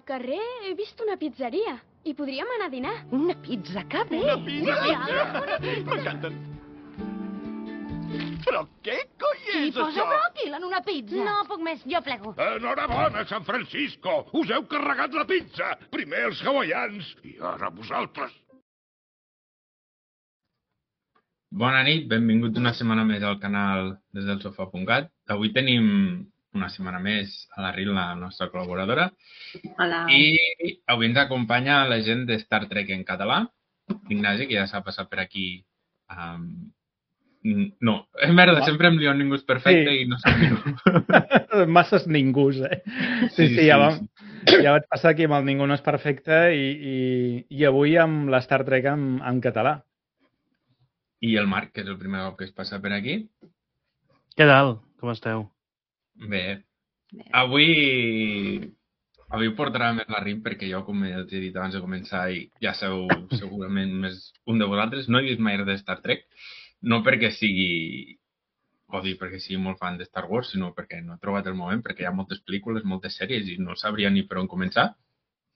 carrer he vist una pizzeria i podríem anar a dinar. Una pizza, que bé! Una pizza! M'encanten. Però què coi I és posa això? bròquil en una pizza. No puc més, jo plego. Enhorabona, San Francisco! Us heu carregat la pizza! Primer els hawaians i ara vosaltres. Bona nit, benvingut una setmana més al canal des del sofà.cat. Avui tenim una setmana més a la Ril, la nostra col·laboradora. Hola. I avui ens acompanya la gent de Star Trek en català. L'Ignasi, que ja s'ha passat per aquí. No, merda, sempre em lio en Ningú és perfecte i no sé ningú. Masses ningus, eh? Sí, ja vaig passar aquí amb el Ningú no és perfecte i avui amb la Star Trek en català. I el Marc, que és el primer cop que es passa per aquí. Què tal? Com esteu? Bé. Avui portarà més la Rim perquè jo, com els he dit abans de començar, i ja sabeu segurament més un de vosaltres, no he vist mai res de Star Trek. No perquè sigui molt fan de Star Wars, sinó perquè no he trobat el moment, perquè hi ha moltes pel·lícules, moltes sèries i no sabria ni per on començar.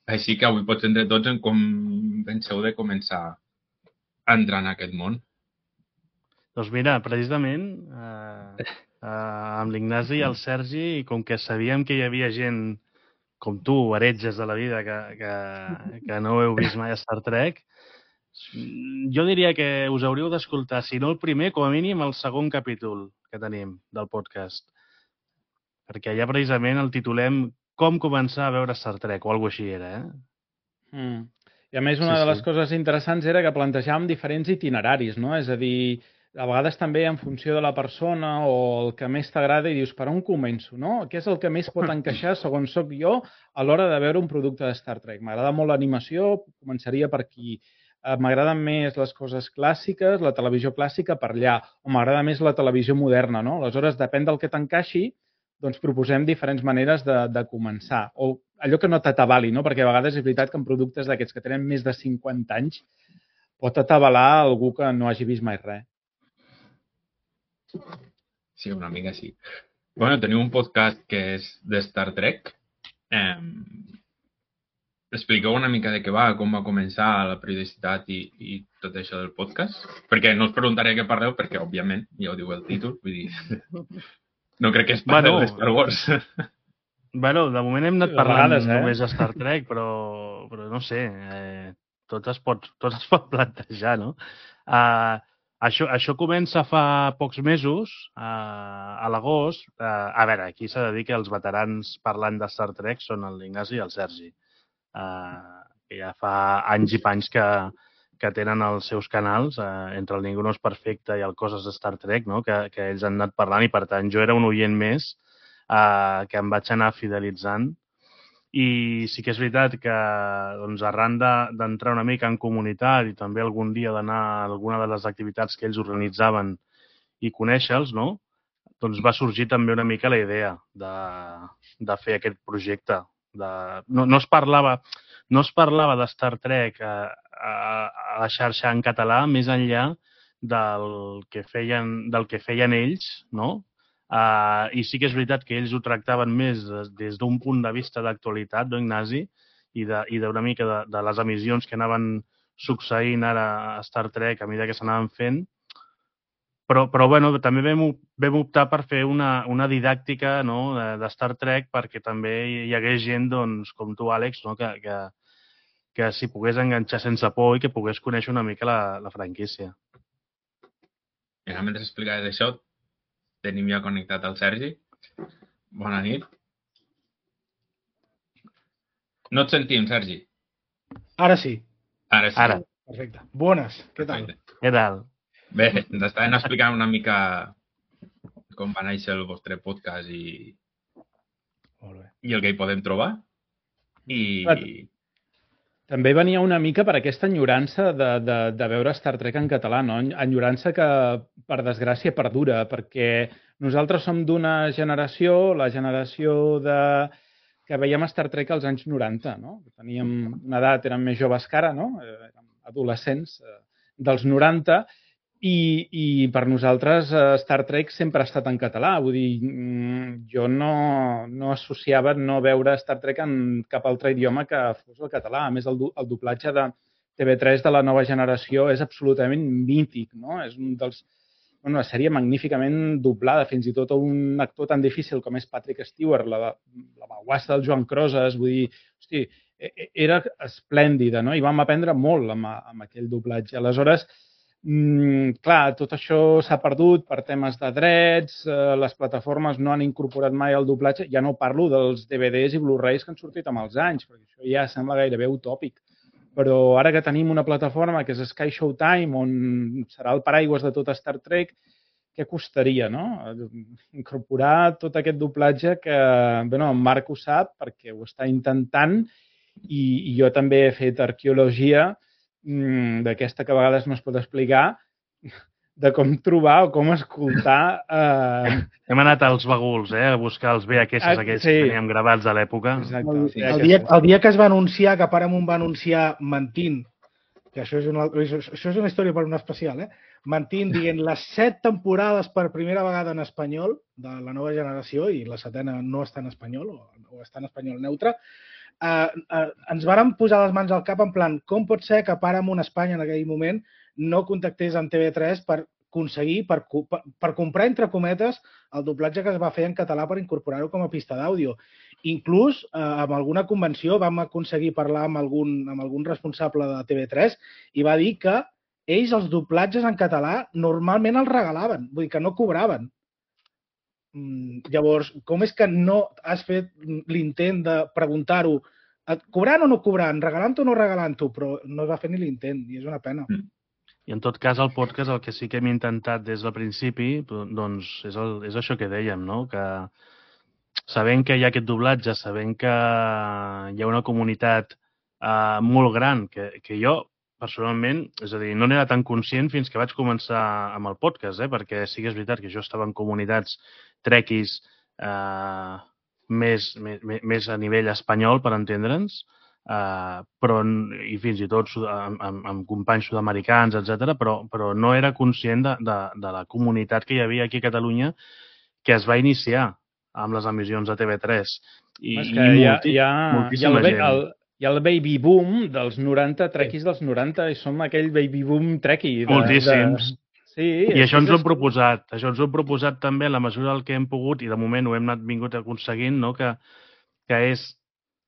Així que avui pots entre tots en com penseu de començar a entrar en aquest món. Doncs mira, precisament amb l'Ignasi i el Sergi, com que sabíem que hi havia gent com tu, heretges de la vida, que no heu vist mai a Star Trek, jo diria que us hauríeu d'escoltar, si no el primer, com a mínim el segon capítol que tenim del podcast. Perquè allà precisament el titulem Com començar a veure Star Trek, o alguna cosa així era, I a més, una de les coses interessants era que plantejàvem diferents itineraris, no? És a dir, a vegades també en funció de la persona o el que més t'agrada i dius, per on començo, no? Què és el que més pot encaixar, segons soc jo, a l'hora de veure un producte de Star Trek? M'agrada molt l'animació, començaria per aquí. M'agraden més les coses clàssiques, la televisió clàssica per allà, o m'agrada més la televisió moderna, no? Aleshores, depèn del que t'encaixi, doncs proposem diferents maneres de començar. O allò que no t'atabali, no? Perquè a vegades és veritat que en productes d'aquests que tenen més de 50 anys pot atabalar algú que no hagi vist mai res. Sí, una mica sí. Bueno, teniu un podcast que és de Star Trek. Expliqueu una mica de què va, com va començar la periodicitat i tot això del podcast. Perquè no us preguntaré què parleu, perquè, òbviament, ja ho diu el títol, vull dir, no crec que es parli de Star Wars. Bueno, de moment hem anat parlant només de Star Trek, però no sé, tot es pot plantejar, no? Això comença fa pocs mesos, a l'agost. A veure, aquí s'ha de dir que els veterans parlant de Star Trek són l'Ignasi i el Sergi, que ja fa anys i panys que tenen els seus canals, entre el Ningú no és perfecte i el Coses de Star Trek, no? Que ells han anat parlant i, per tant, jo era un oient més que em vaig anar fidelitzant. I sí que és veritat que doncs, arran d'entrar una mica en comunitat i també algun dia d'anar a alguna de les activitats que ells organitzaven i conèixer-los, no? Doncs va sorgir també una mica la idea de fer aquest projecte. No es parlava de Star Trek a la xarxa en català més enllà del que feien ells, no? I sí que és veritat que ells ho tractaven més des d'un punt de vista d'actualitat, no, Ignasi? I d'una mica de les emissions que anaven succeint ara a Star Trek a mesura que s'anaven fent. Però bueno, també vam optar per fer una didàctica, no, de Star Trek perquè també hi hagués gent, doncs, com tu, Àlex, no, que s'hi pogués enganxar sense por i que pogués conèixer una mica la franquícia. I ara, mentre explicaves això, tenim ja connectat el Sergi. Bona nit. No et sentim, Sergi. Ara sí. Ara sí. Ara. Perfecte. Bones. Què tal? Què tal? Bé, ens estaven explicant una mica com va néixer el vostre podcast i el que hi podem trobar. També venia una mica per aquesta enyorança de veure Star Trek en català, no? Enyorança que, per desgràcia, perdura, perquè nosaltres som d'una generació, la generació que veiem Star Trek als anys 90, no? Teníem una edat, érem més joves que ara, no? Érem adolescents dels 90, I per nosaltres Star Trek sempre ha estat en català. Vull dir, jo no associava no veure Star Trek en cap altre idioma que fos el català. A més, el doblatge de TV3 de la nova generació és absolutament mític, no? És una sèrie magníficament doblada, fins i tot un actor tan difícil com és Patrick Stewart, la baguassa del Joan Crosas, vull dir, hosti, era esplèndida, no? I vam aprendre molt amb aquell doblatge. Aleshores, clar, tot això s'ha perdut per temes de drets, les plataformes no han incorporat mai el doblatge, ja no parlo dels DVDs i Blu-rays que han sortit amb els anys, perquè això ja sembla gairebé utòpic. Però ara que tenim una plataforma que és Sky Showtime, on serà el paraigües de tot Star Trek, què costaria, no? Incorporar tot aquest doblatge que, bé, en Marc ho sap perquè ho està intentant i jo també he fet arqueologia d'aquesta que a vegades no es pot explicar, de com trobar o com escoltar... Hem anat als baguls, a buscar els VHS aquells que teníem gravats a l'època. El dia que es va anunciar, que Paramount va anunciar mentint, que això és una història per un especial, mentint, dient les 7 temporades per primera vegada en espanyol de la nova generació, i la 7ª no està en espanyol, o està en espanyol neutre, ens vàrem posar les mans al cap en plan, com pot ser que Paramount Espanya en aquell moment no contactés amb TV3 per aconseguir, per comprar, entre cometes, el doblatge que es va fer en català per incorporar-ho com a pista d'àudio. Inclús, en alguna convenció vam aconseguir parlar amb algun responsable de TV3 i va dir que ells els doblatges en català normalment els regalaven, vull dir que no cobraven. Llavors, com és que no has fet l'intent de preguntar-ho cobrant o no cobrant, regalant o no regalant-ho, però no es va fer ni l'intent i és una pena. I en tot cas, el podcast, el que sí que hem intentat des del principi, doncs és això que dèiem, no? Que sabent que hi ha aquest doblatge, sabent que hi ha una comunitat molt gran, que jo, personalment, és a dir, no n'era tan conscient fins que vaig començar amb el podcast, perquè sí que és veritat que jo estava en comunitats trequis més a nivell espanyol, per entendre'ns, però i fins i tot amb companys sud-americans, etc, però no era conscient de la comunitat que hi havia aquí a Catalunya que es va iniciar amb les emissions de TV3. Hi ha el baby boom dels 90, trequis dels 90, i som aquell baby boom trequi. Moltíssims. I això ens ho hem proposat. Això ens ho hem proposat també en la mesura del que hem pogut, i de moment ho hem vingut aconseguint, que és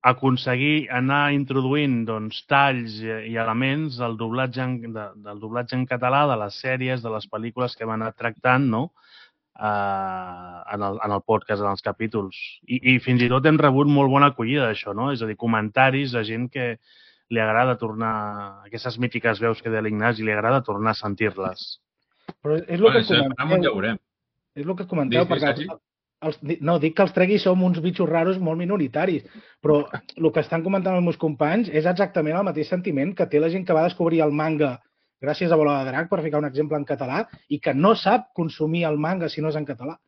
aconseguir anar introduint talls i elements del doblatge en català, de les sèries, de les pel·lícules que hem anat tractant en el podcast, en els capítols. I fins i tot hem rebut molt bona acollida d'això, és a dir, comentaris de gent que li agrada tornar, aquestes mítiques veus que deia l'Ignasi, li agrada tornar a sentir-les. Però és el que comenteu, perquè... No, dic que els treguis som uns bitxos raros molt minoritaris, però el que estan comentant els meus companys és exactament el mateix sentiment que té la gent que va descobrir el manga gràcies a Bola de Drac, per ficar un exemple en català, i que no sap consumir el manga si no és en català.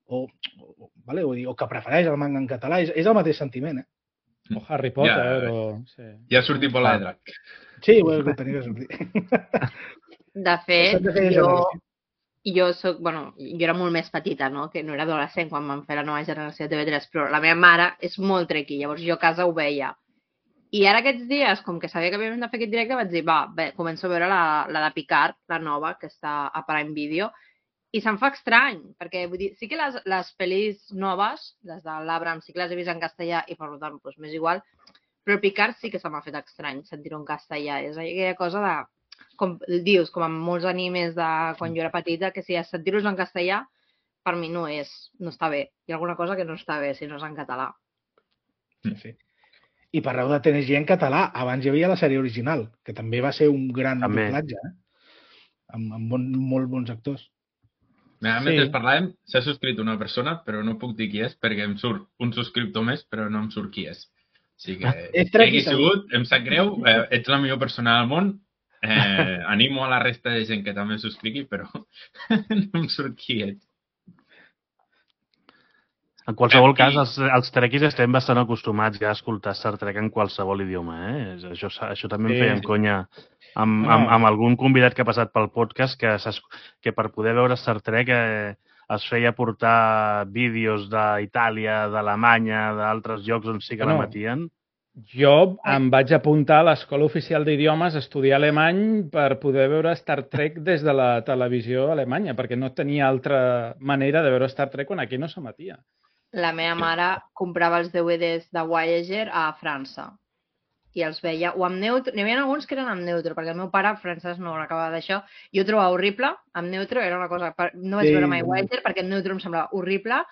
O que prefereix el manga en català. És el mateix sentiment, O Harry Potter, Ja ha sortit Bola de Drac. Sí, ho tenia que sortir. De fet, jo era molt més petita, no? Que no era adolescent quan vam fer la nova generació de TV3, però la meva mare és molt trequi, llavors jo a casa ho veia. I ara aquests dies, com que sabia que havíem de fer aquest directe, vaig dir, començo a veure la de Picard, la nova, que està a Prime Video, i se'm fa estrany, perquè vull dir, sí que les pel·lis noves, les de l'Abraham, sí que les he vist en castellà i per tant, m'és igual, però Picard sí que se m'ha fet estrany sentir-ho en castellà. És aquella cosa de... Com dius, com amb molts animes de quan jo era petita, que si sentir-los en castellà, per mi no està bé. Hi ha alguna cosa que no està bé si no és en català. Sí. I parleu de TNG en català. Abans hi havia la sèrie original, que també va ser un gran doblatge, amb molt bons actors. Mentre parlàvem, s'ha subscrit una persona, però no puc dir qui és, perquè em surt un subscriptor més, però no em surt qui és. O sigui que, qui hagi sigut, em sap greu, ets la millor persona del món, animo a la resta de gent que també subscrigui, però no em surt qui ets. En qualsevol cas, els trekkies estem bastant acostumats ja a escoltar Star Trek en qualsevol idioma, eh? Això també em feien conya amb algun convidat que ha passat pel podcast que per poder veure Star Trek es feia portar vídeos d'Itàlia, d'Alemanya, d'altres llocs on sí que l'emetien. Jo em vaig apuntar a l'Escola Oficial d'Idiomes a estudiar alemany per poder veure Star Trek des de la televisió alemanya, perquè no tenia altra manera de veure Star Trek quan aquí no s'emetia. La meva mare comprava els DVDs de Voyager a França i els veia, o amb neutro, n'hi havia alguns que eren amb neutro, perquè el meu pare francès no l'acabava d'això, jo ho trobava horrible, amb neutro era una cosa, no vaig veure mai Voyager perquè el neutro em semblava horrible,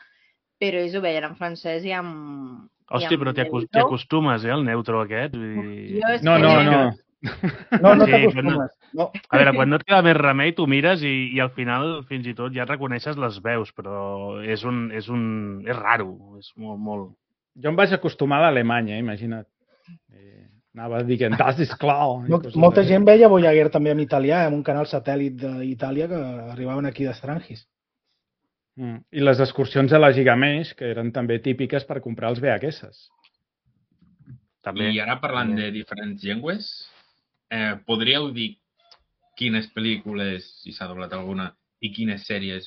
però ells ho veien en francès i amb... Hòstia, però t'hi acostumes, al neutro aquest? No. No t'acostumes. No. A veure, quan no et queda més remei, tu mires i al final fins i tot ja reconeixes les veus, però és raro, és molt... Jo em vaig acostumar a l'alemany, imagina't. Anava dient, das ist klar. Molta gent veia Voyager també en italià, en un canal satèl·lit d'Itàlia que arribaven aquí d'Estrangis. I les excursions a la Gigamesh, que eren també típiques per comprar els VHS. I ara parlant de diferents llengües, podríeu dir quines pel·lícules, si s'ha doblat alguna, i quines sèries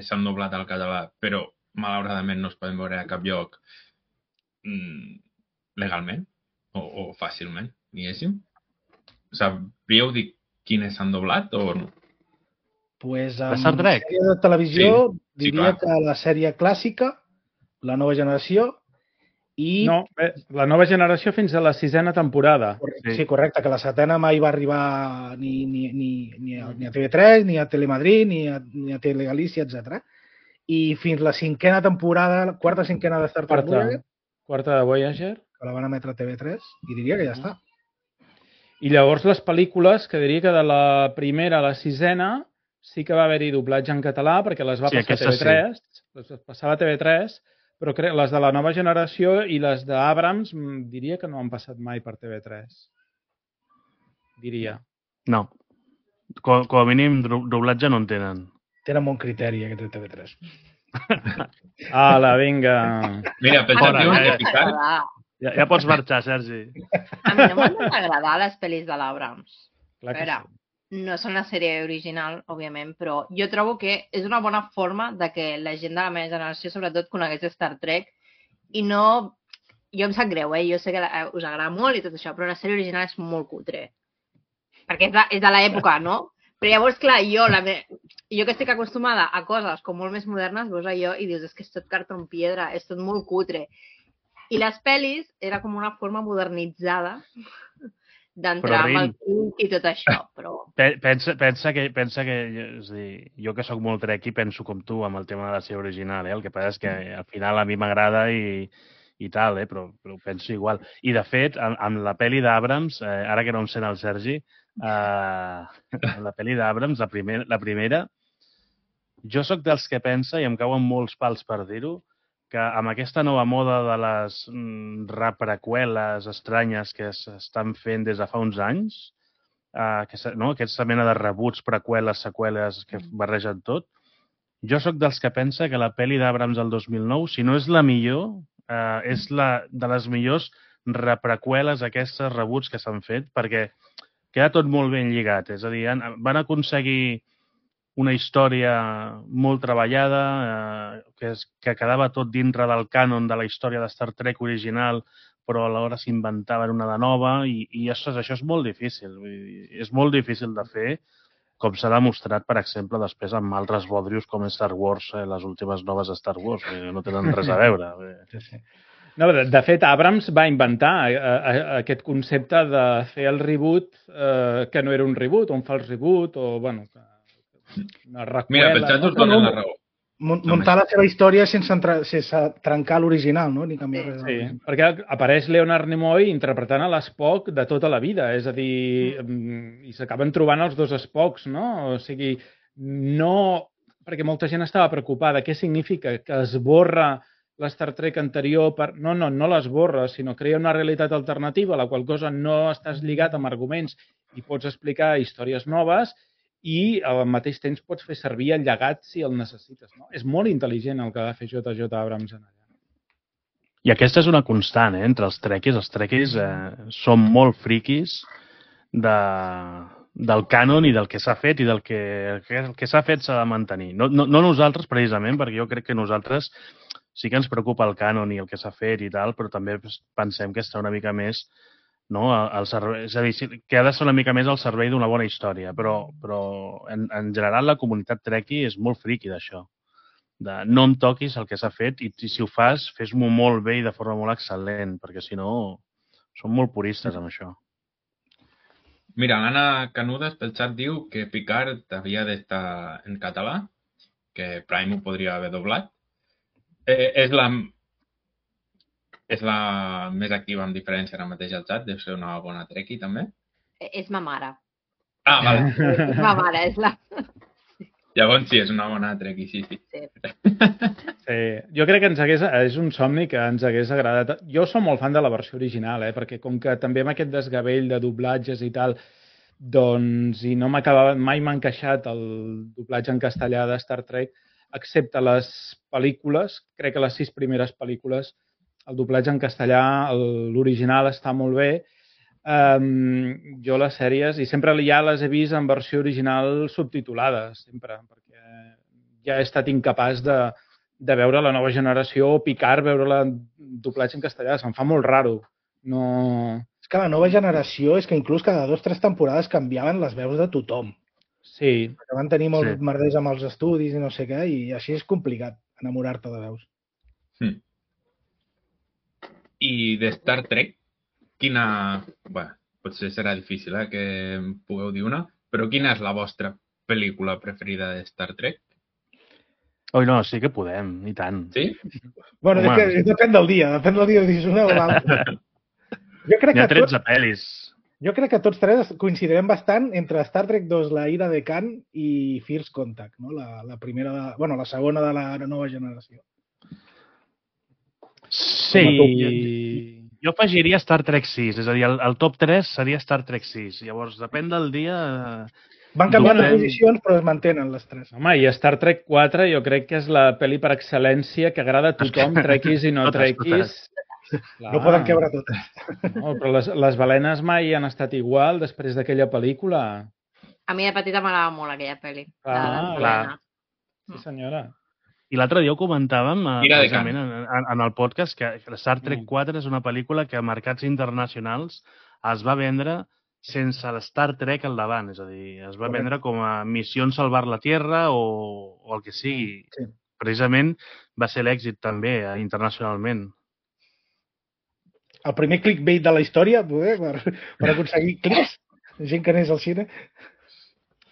s'han doblat al català, però malauradament no es poden veure a cap lloc legalment o fàcilment, diguéssim? Sabríeu dir quines s'han doblat o no? Pues en sèrie de televisió diria que la sèrie clàssica, La nova generació i... No, La nova generació fins a la 6ª temporada. Sí, correcte, que la 7ª mai va arribar ni a TV3, ni a Telemadrid, ni a Telegalícia, etc. I fins la 5ª temporada, 4ª, 5ª de Star Trek Voyager. Quarta de Voyager. Que la van emetre a TV3 i diria que ja està. I llavors les pel·lícules, que diria que de la primera a la 6ª sí que va haver-hi doblatge en català perquè les va passar a TV3, les passava a TV3, però les de la nova generació i les d'Abrams diria que no han passat mai per TV3. Diria. No. Com a mínim doblatge no en tenen. Tenen bon criteri aquest de TV3. Ala, vinga. Mira, pensava que Picard... Ja pots marxar, Sergi. A mi no m'han d'agradar les pel·lis de l'Abrams. Clar que sí. No són una sèrie original, òbviament, però jo trobo que és una bona forma de que la gent de la meva generació, sobretot, conegués Star Trek i no... Jo em sap greu, jo sé que us agrada molt i tot això, però la sèrie original és molt cutre. Perquè és de l'època, no? Però llavors, clar, jo que estic acostumada a coses com molt més modernes, veus allò i dius, és que és tot cartó piedra, és tot molt cutre. I les pel·lis era com una forma modernitzada d'entrar amb el cult i tot això, però... Pensa que és a dir, jo que sóc molt trekkie penso com tu amb el tema de la sèrie original, el que passa és que al final a mi m'agrada i tal, però ho penso igual. I de fet, amb la pel·li d'Abrams, ara que no em sent el Sergi, la pel·li d'Abrams, la primera, jo sóc dels que pensa, i em cauen molts pals per dir-ho, que amb aquesta nova moda de les repreqüeles estranyes que s'estan fent des de fa uns anys, aquesta mena de rebuts, preqüeles, seqüeles que barregen tot, jo sóc dels que pensa que la pel·li d'Abrams del 2009, si no és la millor, és de les millors repreqüeles, aquestes rebuts que s'han fet, perquè queda tot molt ben lligat. És a dir, van aconseguir una història molt treballada, que quedava tot dintre del cànon de la història de Star Trek original, però alhora s'inventaven una de nova, i això és molt difícil. És molt difícil de fer, com s'ha demostrat, per exemple, després amb altres bodrius com Star Wars, les últimes noves Star Wars, que no tenen res a veure. No, de fet, Abrams va inventar aquest concepte de fer el reboot que no era un reboot, un fals reboot, o, bueno, una recuela. Mira, pensant us donen la raó. Muntar la seva història sense trencar l'original, no? Ni canviar res. Sí, perquè apareix Leonard Nimoy interpretant a l'Spock de tota la vida, és a dir, i s'acaben trobant els dos Spocks, no? O sigui, no... Perquè molta gent estava preocupada. Què significa? Que es borra l'Star Trek anterior per... No l'esborra, sinó crea una realitat alternativa, a la qual cosa no estàs lligat amb arguments i pots explicar històries noves, i al mateix temps pots fer servir el llegat si el necessites. No? És molt intel·ligent el que va fer J.J. Abrams en allà. I aquesta és una constant, entre els trekkies. Els trekkies són molt friquis del cànon i del que s'ha fet i del que s'ha fet s'ha de mantenir. No nosaltres, precisament, perquè jo crec que nosaltres sí que ens preocupa el cànon i el que s'ha fet i tal, però també pensem que està una mica més al servei, és a dir, que ha de ser una mica més al servei d'una bona història, però en general la comunitat trekkie és molt friqui d'això. No em toquis el que s'ha fet i si ho fas, fes-m'ho molt bé i de forma molt excel·lent, perquè si no són molt puristes amb això. Mira, l'Anna Canudes pel xat diu que Picard havia d'estar en català, que Prime ho podria haver doblat. És la més activa amb diferència ara mateix al xat, deu ser una bona trekkie també. És ma mare. Ah, vale. És ma mare, és la... Llavors sí, és una bona trekkie, sí. Sí. Jo crec que és un somni que ens hagués agradat. Jo som molt fan de la versió original, perquè com que també amb aquest desgavell de doblatges i tal, doncs, i no mai m'ha encaixat el doblatge en castellà de Star Trek, excepte les pel·lícules, crec que les 6 primeres pel·lícules, el doblatge en castellà, l'original està molt bé. Jo les sèries, i sempre ja les he vist en versió original subtitulades, sempre, perquè ja he estat incapaç de veure la nova generació o Picard, veure-la en doblatge en castellà. Se'm fa molt raro. És que la nova generació és que inclús cada 2 o 3 temporades canviaven les veus de tothom. Sí. Perquè van tenir molts merders amb els estudis i no sé què, i així és complicat enamorar-te de veus. I de Star Trek, quina... Bé, potser serà difícil que em pugueu dir una, però quina és la vostra pel·lícula preferida de Star Trek? Oi, no, sí que podem, i tant. Sí? Bueno, depèn del dia si és una o l'altra. N'hi ha 13 pel·lis. Jo crec que tots 3 coincidirem bastant entre Star Trek 2, La ira de Khan i First Contact, no? La primera, la segona de la nova generació. Sí, jo afegiria Star Trek 6, és a dir, el top 3 seria Star Trek 6. Llavors, depèn del dia... Van canviant les posicions, però es mantenen les 3. Home, i Star Trek 4 jo crec que és la pel·li per excel·lència que agrada a tothom, trekkies i no trekkies. No poden quebre totes. No, però les balenes mai han estat igual després d'aquella pel·lícula. A mi de petita m'agradava molt aquella pel·li. Clar. Sí, senyora. I l'altre dia ho comentàvem en el podcast que Star Trek 4 és una pel·lícula que a mercats internacionals es va vendre sense l'Star Trek al davant, és a dir, es va vendre com a missió salvar la Tierra o el que sigui. Sí. Precisament va ser l'èxit també internacionalment. El primer clickbait de la història per aconseguir clics, gent que anés al cine.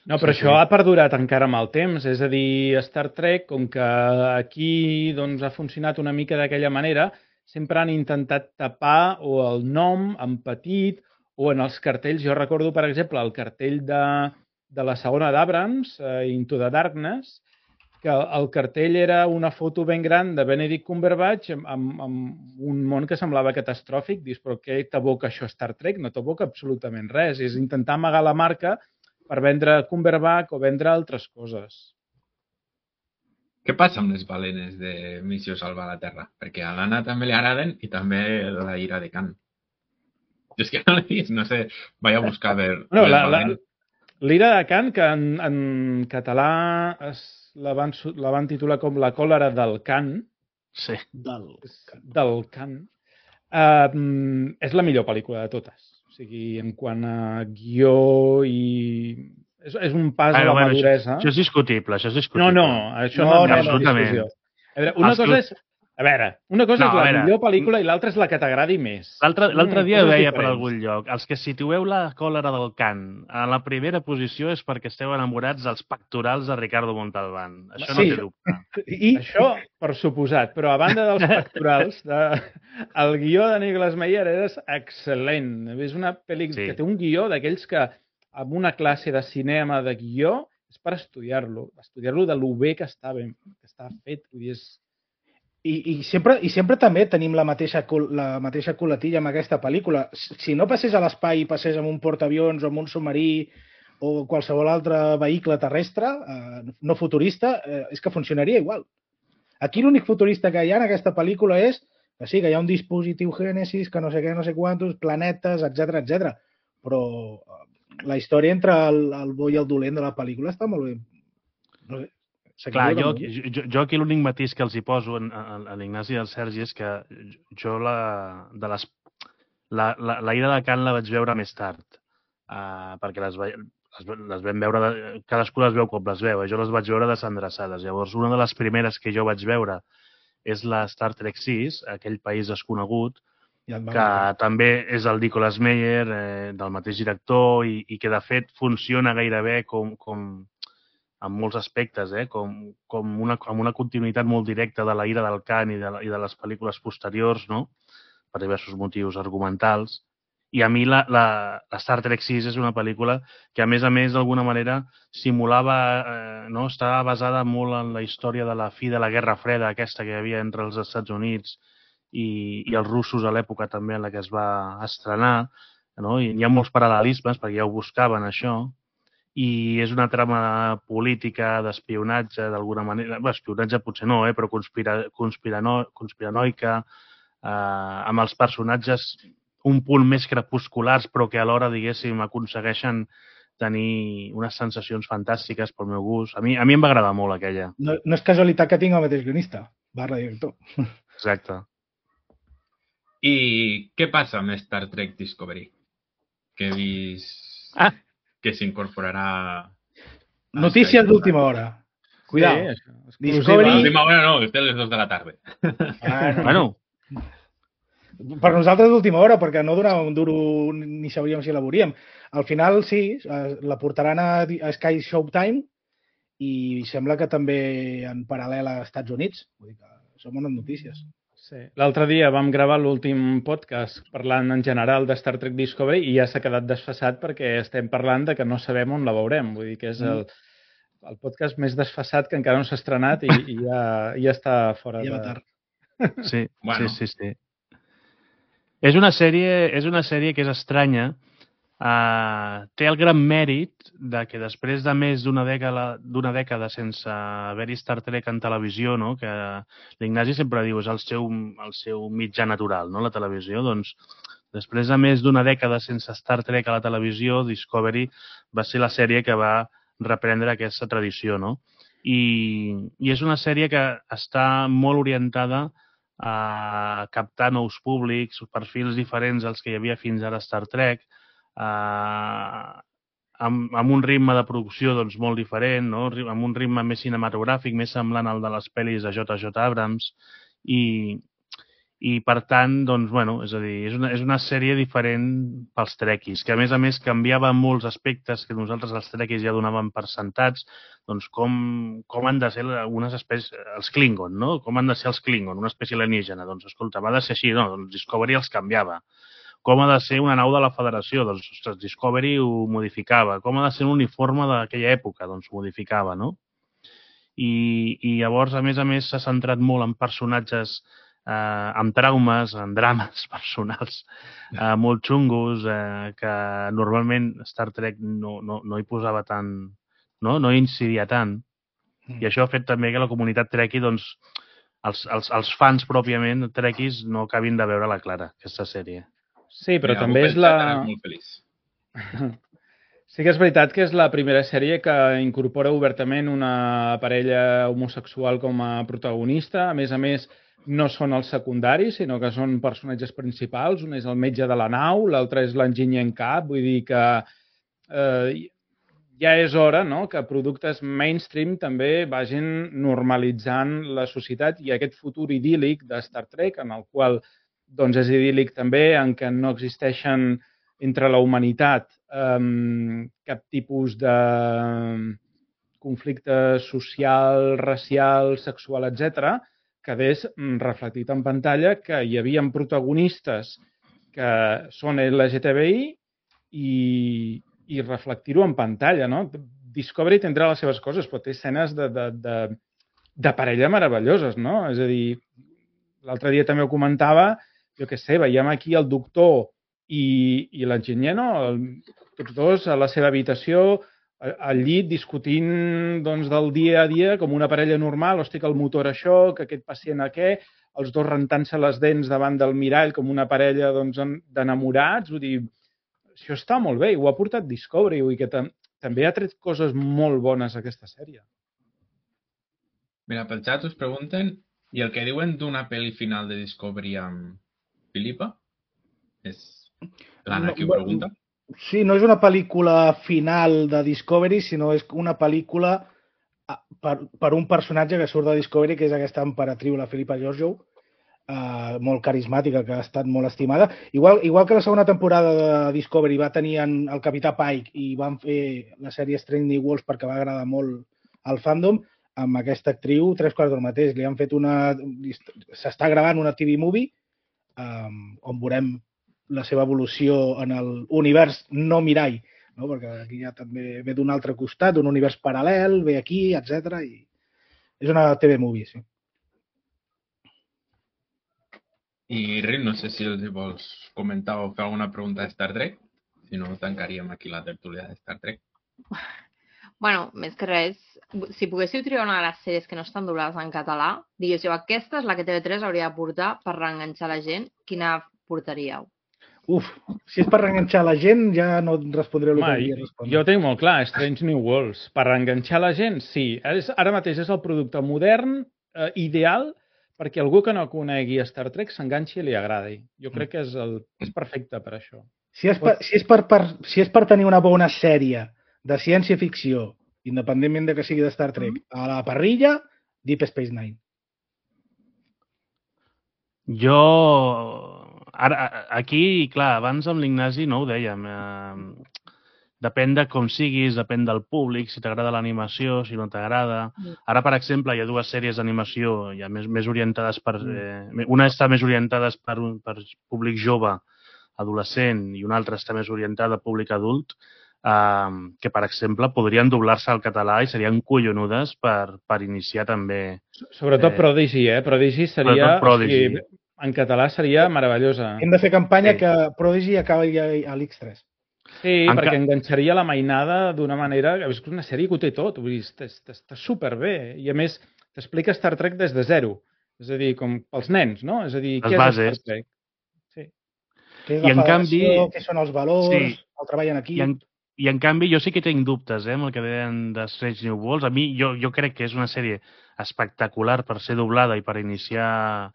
No, però això ha perdurat encara amb el temps. És a dir, Star Trek, com que aquí ha funcionat una mica d'aquella manera, sempre han intentat tapar o el nom en petit o en els cartells. Jo recordo, per exemple, el cartell de la segona d'Abrams, Into the Darkness, que el cartell era una foto ben gran de Benedict Cumberbatch amb un món que semblava catastròfic. Dius, però què t'aboca això Star Trek? No t'aboca absolutament res. És intentar amagar la marca per vendre Cumberbatch o vendre altres coses. Què passa amb les balenes de Missió Salvar la Terra? Perquè a l'Anna també li agraden i també la ira de Khan. Jo és que no l'he vist, no sé, vaig a buscar a veure... L'ira de Khan, que en català la van titular com La còlera del Khan. Sí. Del Khan. És la millor pel·lícula de totes. O sigui, en quant a guió i... És un pas a la maduresa. Això és discutible, No, això no és discussió. Una cosa és la millor pel·lícula i l'altra és la que t'agradi més. L'altre dia veia per algun lloc. Els que situeu La còlera del Khan a la primera posició és perquè esteu enamorats dels pectorals de Ricardo Montalbán. Això no té dubte. Això, per suposat. Però a banda dels pectorals, el guió de Nicolas Meyer és excel·lent. És una pel·lícula que té un guió d'aquells que amb una classe de cinema de guió és per estudiar-lo de lo bé que està fet. Vull dir, I sempre també tenim la mateixa coletilla amb aquesta pel·lícula. Si no passés a l'espai i passés amb un portaavions o amb un submarí o qualsevol altre vehicle terrestre no futurista, és que funcionaria igual. Aquí l'únic futurista que hi ha en aquesta pel·lícula és que sí, que hi ha un dispositiu Génesis, que no sé què, no sé quantos, planetes, etc. Però la història entre el bo i el dolent de la pel·lícula està molt bé. No sé, clar, jo aquí l'únic matís que els hi poso a l'Ignasi i al Sergi és que jo la Ira de Kant la vaig veure més tard, perquè les vam veure, cadascú les veu com les veu, jo les vaig veure desendreçades. Llavors, una de les primeres que jo vaig veure és la Star Trek 6, aquell país desconegut, que també és el Nicholas Meyer, del mateix director, i que de fet funciona gairebé com en molts aspectes, com una continuïtat molt directa de la Ira del Kant i de les pel·lícules posteriors, no? Per diversos motius argumentals. I a mi la Star Trek 6 és una pel·lícula que, a més, d'alguna manera simulava, estava basada molt en la història de la fi de la Guerra Freda, aquesta que hi havia entre els Estats Units i els russos a l'època també en la que es va estrenar, no? I hi ha molts paral·lelismes, perquè ja ho buscaven, això, i és una trama política d'espionatge, d'alguna manera, espionatge potser no, però conspiranoica, amb els personatges un punt més crepusculars, però que alhora, diguéssim, aconsegueixen tenir unes sensacions fantàstiques pel meu gust. A mi em va agradar molt aquella. No és casualitat que tinc el mateix guionista, /director. Exacte. I què passa amb Star Trek Discovery? Que he vist que s'incorporarà... Notícies d'última hora. Cuidado. Discovery... L'última hora no, que té les 2 de la tarda. Bueno. Per nosaltres d'última hora, perquè no donava un duro ni sabríem si la veuríem. Al final, sí, la portaran a Sky Showtime i sembla que també en paral·lel a Estats Units. Vull dir que són bones notícies. Sí. L'altre dia vam gravar l'últim podcast parlant en general de Star Trek Discovery i ja s'ha quedat desfasat perquè estem parlant de que no sabem on la veurem. Vull dir que és el podcast més desfasat que encara no s'ha estrenat i ja està fora de... Ja va tard. Sí, bueno. Sí. És una sèrie que és estranya. Té el gran mèrit de que després de més d'una dècada sense haver-hi Star Trek en televisió, no? Que l'Ignasi sempre diu és el seu mitjà natural, no? La televisió, doncs després de més d'una dècada sense Star Trek a la televisió, Discovery va ser la sèrie que va reprendre aquesta tradició, no? I és una sèrie que està molt orientada a captar nous públics, perfils diferents als que hi havia fins ara a Star Trek, amb un ritme de producció doncs, molt diferent, no? Amb un ritme més cinematogràfic, més semblant al de les pel·lis de J.J. Abrams, i per tant, doncs, bueno, és a dir, és una sèrie diferent pels trekkies, que a més canviava molts aspectes que nosaltres els trekkies ja donàvem per sentats, doncs com han de ser algunes espècies, els Klingon, no? Com han de ser els Klingon, una espècie alienígena, doncs escolta, va de ser així, no? Doncs Discovery els canviava. Com ha de ser una nau de la Federació? Doncs, ostres, Discovery ho modificava. Com ha de ser un uniforme d'aquella època? Doncs ho modificava, no? I llavors, a més, s'ha centrat molt en personatges amb traumes, en drames personals molt xungos, que normalment Star Trek no hi posava tant, no hi incidia tant. I això ha fet també que la comunitat trekkie, doncs, els fans pròpiament trekkies no acabin de veure la clara, aquesta sèrie. Sí, però també és la... Sí que és veritat que és la primera sèrie que incorpora obertament una parella homosexual com a protagonista. A més, no són els secundaris, sinó que són personatges principals. Un és el metge de la nau, l'altre és l'enginyer en cap. Vull dir que ja és hora, no?, que productes mainstream també vagin normalitzant la societat i aquest futur idíl·lic de Star Trek, en el qual doncs és idíl·lic també, en què no existeixen entre la humanitat cap tipus de conflicte social, racial, sexual, etc., quedés reflectit en pantalla que hi havia protagonistes que són LGTBI i reflectir-ho en pantalla, no? Discovery tindrà les seves coses, però té escenes de parella meravelloses, no? És a dir, l'altre dia també ho comentava, jo què sé, veiem aquí el doctor i l'enginyer, no? Tots dos a la seva habitació, al llit, discutint doncs, del dia a dia com una parella normal, hosti, que el motor això, que aquest pacient a què, els dos rentant-se les dents davant del mirall com una parella doncs, d'enamorats. Vull dir, això està molt bé i ho ha portat Discovery, vull dir que també ha tret coses molt bones a aquesta sèrie. Mira, pel xat us pregunten i el que diuen d'una pel·li final de Discovery amb Filipa? És l'Anna qui ho pregunta? Sí, no és una pel·lícula final de Discovery, sinó és una pel·lícula per un personatge que surt de Discovery, que és aquesta emperatriu, la Filipa Georgiou, molt carismàtica, que ha estat molt estimada. Igual que la segona temporada de Discovery va tenir el Capità Pike i van fer la sèrie Strange New Worlds perquè va agradar molt al fandom, amb aquesta actriu, 3/4 del mateix. Li han fet s'està gravant una TV movie on veurem la seva evolució en l'univers no mirall, no? Perquè aquí ja també ve d'un altre costat, d'un univers paral·lel, ve aquí, etc. I és una TV movie, sí. I Rick, no sé si els vols comentar o fer alguna pregunta de Star Trek. Si no, tancaríem aquí la tertúlia de Star Trek. Bueno, més que res, si poguéssiu triar una de les sèries que no estan doblades en català, diguéssiu, aquesta és la que TV3 hauria de portar per reenganxar la gent, quina portaríeu? Si és per reenganxar la gent, ja no et respondré el que volia respondre. Jo ho tinc molt clar, Strange New Worlds. Per reenganxar la gent, sí. Ara mateix és el producte modern, ideal, perquè algú que no conegui Star Trek s'enganxi i li agradi. Jo crec que és perfecte per això. Si és per tenir una bona sèrie de ciència-ficció, independentment de que sigui de Star Trek, a la parrilla, Deep Space Nine. Aquí, clar, abans amb l'Ignasi no ho dèiem. Depèn de com siguis, depèn del públic, si t'agrada l'animació, si no t'agrada. Ara, per exemple, hi ha dues sèries d'animació ja més orientades per... Una està més orientada per públic jove, adolescent, i una altra està més orientada a públic adult, que, per exemple, podrien doblar-se al català i serien collonudes per iniciar també... Sobretot Prodigy, Prodigy seria... Prodigy. En català seria meravellosa. Hem de fer campanya que Prodigy acabi a l'X3. Sí, perquè enganxaria la mainada d'una manera... És una sèrie que ho té tot, vull dir, està superbé. I, a més, t'explica Star Trek des de zero. És a dir, com pels nens, no? És a dir, què és Star Trek? Sí. Què és la federació, què són els valors, el treball en equip... I, en canvi, jo sí que tinc dubtes, amb el que deien de Strange New Worlds. A mi, jo crec que és una sèrie espectacular per ser doblada i per iniciar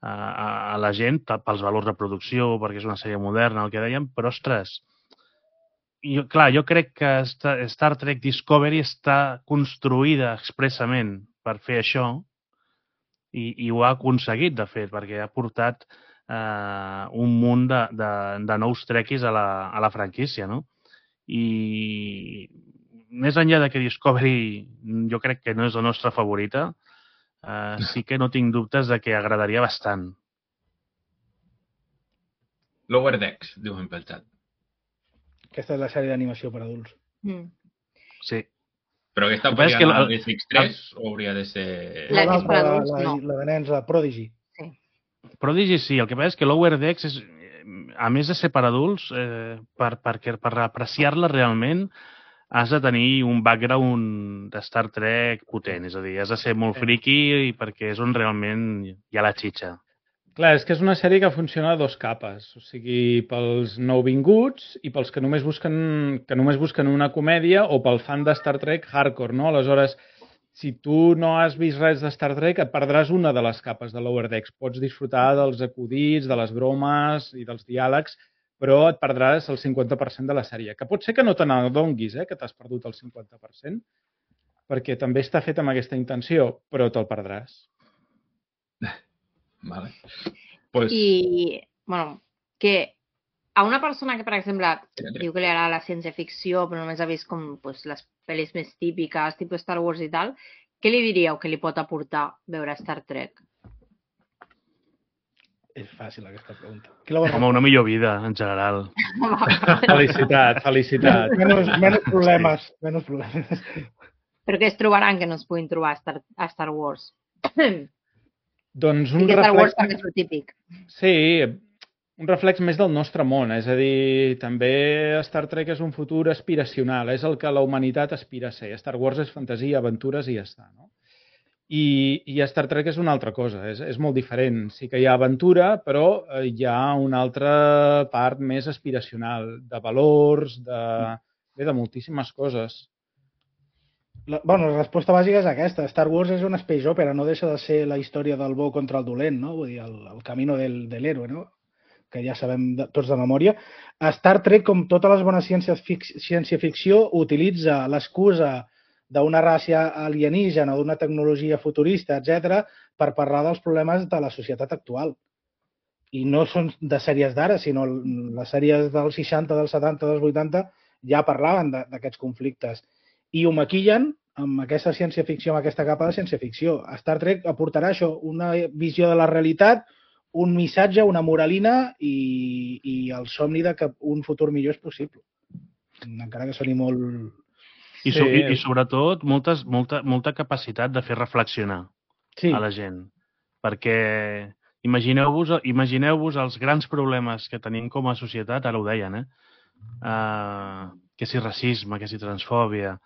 a la gent, pels valors de producció, perquè és una sèrie moderna, el que dèiem, però, ostres, jo crec que Star Trek Discovery està construïda expressament per fer això i ho ha aconseguit, de fet, perquè ha portat un munt de nous trekkies a la franquícia, no? I més enllà que Discovery jo crec que no és la nostra favorita, sí que no tinc dubtes de que agradaria bastant. Lower Decks, diuen pel xat. Aquesta és la sèrie d'animació per adults. Sí. Però aquesta podria anar a X3 o hauria de ser... La que és per adults, no. La de nens, la Prodigy. Sí. Prodigy sí, el que passa és que Lower Decks és, a més de ser per adults, per apreciar-la realment has de tenir un background de Star Trek potent, és a dir, has de ser molt friki perquè és on realment hi ha la xitxa. Clar, és que és una sèrie que funciona a dos capes, o sigui, pels nouvinguts i pels que només busquen una comèdia o pel fan de Star Trek hardcore, no? Aleshores, si tu no has vist res de Star Trek, et perdràs una de les capes de Lower Decks. Pots disfrutar dels acudits, de les bromes i dels diàlegs, però et perdràs el 50% de la sèrie. Que pot ser que no te n'adonguis, que t'has perdut el 50%, perquè també està fet amb aquesta intenció, però te'l perdràs. Vale. I, bueno, que a una persona que, per exemple, diu que li agrada la ciència-ficció, però només ha vist com les pel·lis més típiques, tipus Star Wars i tal, què li diríeu que li pot aportar veure Star Trek? És fàcil, aquesta pregunta. Home, una millor vida, en general. Felicitat. Menys problemes. Però què es trobaran que no es puguin trobar a Star Wars? Doncs un Star Wars també és el típic. Sí, un reflex més del nostre món, és a dir, també Star Trek és un futur aspiracional, és el que la humanitat aspira a ser. Star Wars és fantasia, aventures i ja està, no? I Star Trek és una altra cosa, és molt diferent. Sí que hi ha aventura, però hi ha una altra part més aspiracional, de valors, de moltíssimes coses. La resposta bàsica és aquesta. Star Wars és una space opera, no deixa de ser la història del bo contra el dolent, no? Vull dir, el camino de l'héroe, no? Que ja sabem tots de memòria. Star Trek, com totes les bones ciència-ficció, utilitza l'excusa d'una raça alienígena o d'una tecnologia futurista, etc, per parlar dels problemes de la societat actual. I no són de sèries d'ara, sinó les sèries dels 60, dels 70, dels 80 ja parlaven d'aquests conflictes. I ho maquillen amb aquesta ciència-ficció, amb aquesta capa de ciència-ficció. Star Trek aportarà això, una visió de la realitat, un missatge, una moralina i el somni de que un futur millor és possible. Encara que soni molt... I sobretot molta capacitat de fer reflexionar a la gent. Perquè imagineu-vos els grans problemes que tenim com a societat, ara ho deien, que si racisme, que si transfòbia...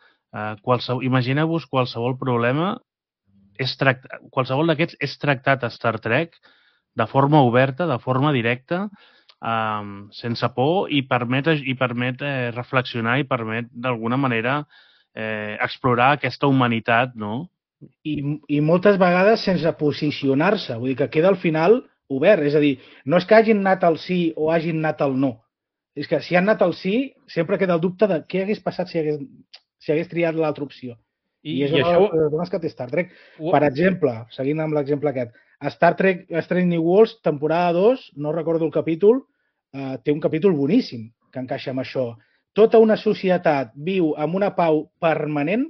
Imagineu-vos qualsevol problema, qualsevol d'aquests és tractat a Star Trek de forma oberta, de forma directa, sense por, i permet reflexionar i permet d'alguna manera explorar aquesta humanitat, no? I moltes vegades sense posicionar-se, vull dir que queda al final obert, és a dir, no és que hagin anat al sí o hagin anat al no, és que si han anat al sí sempre queda el dubte de què hagués passat si hagués triat l'altra opció. I és una de les coses que té Star Trek. Per exemple, seguint amb l'exemple aquest, Star Trek Strange New Worlds, temporada 2, no recordo el capítol, té un capítol boníssim que encaixa amb això. Tota una societat viu amb una pau permanent,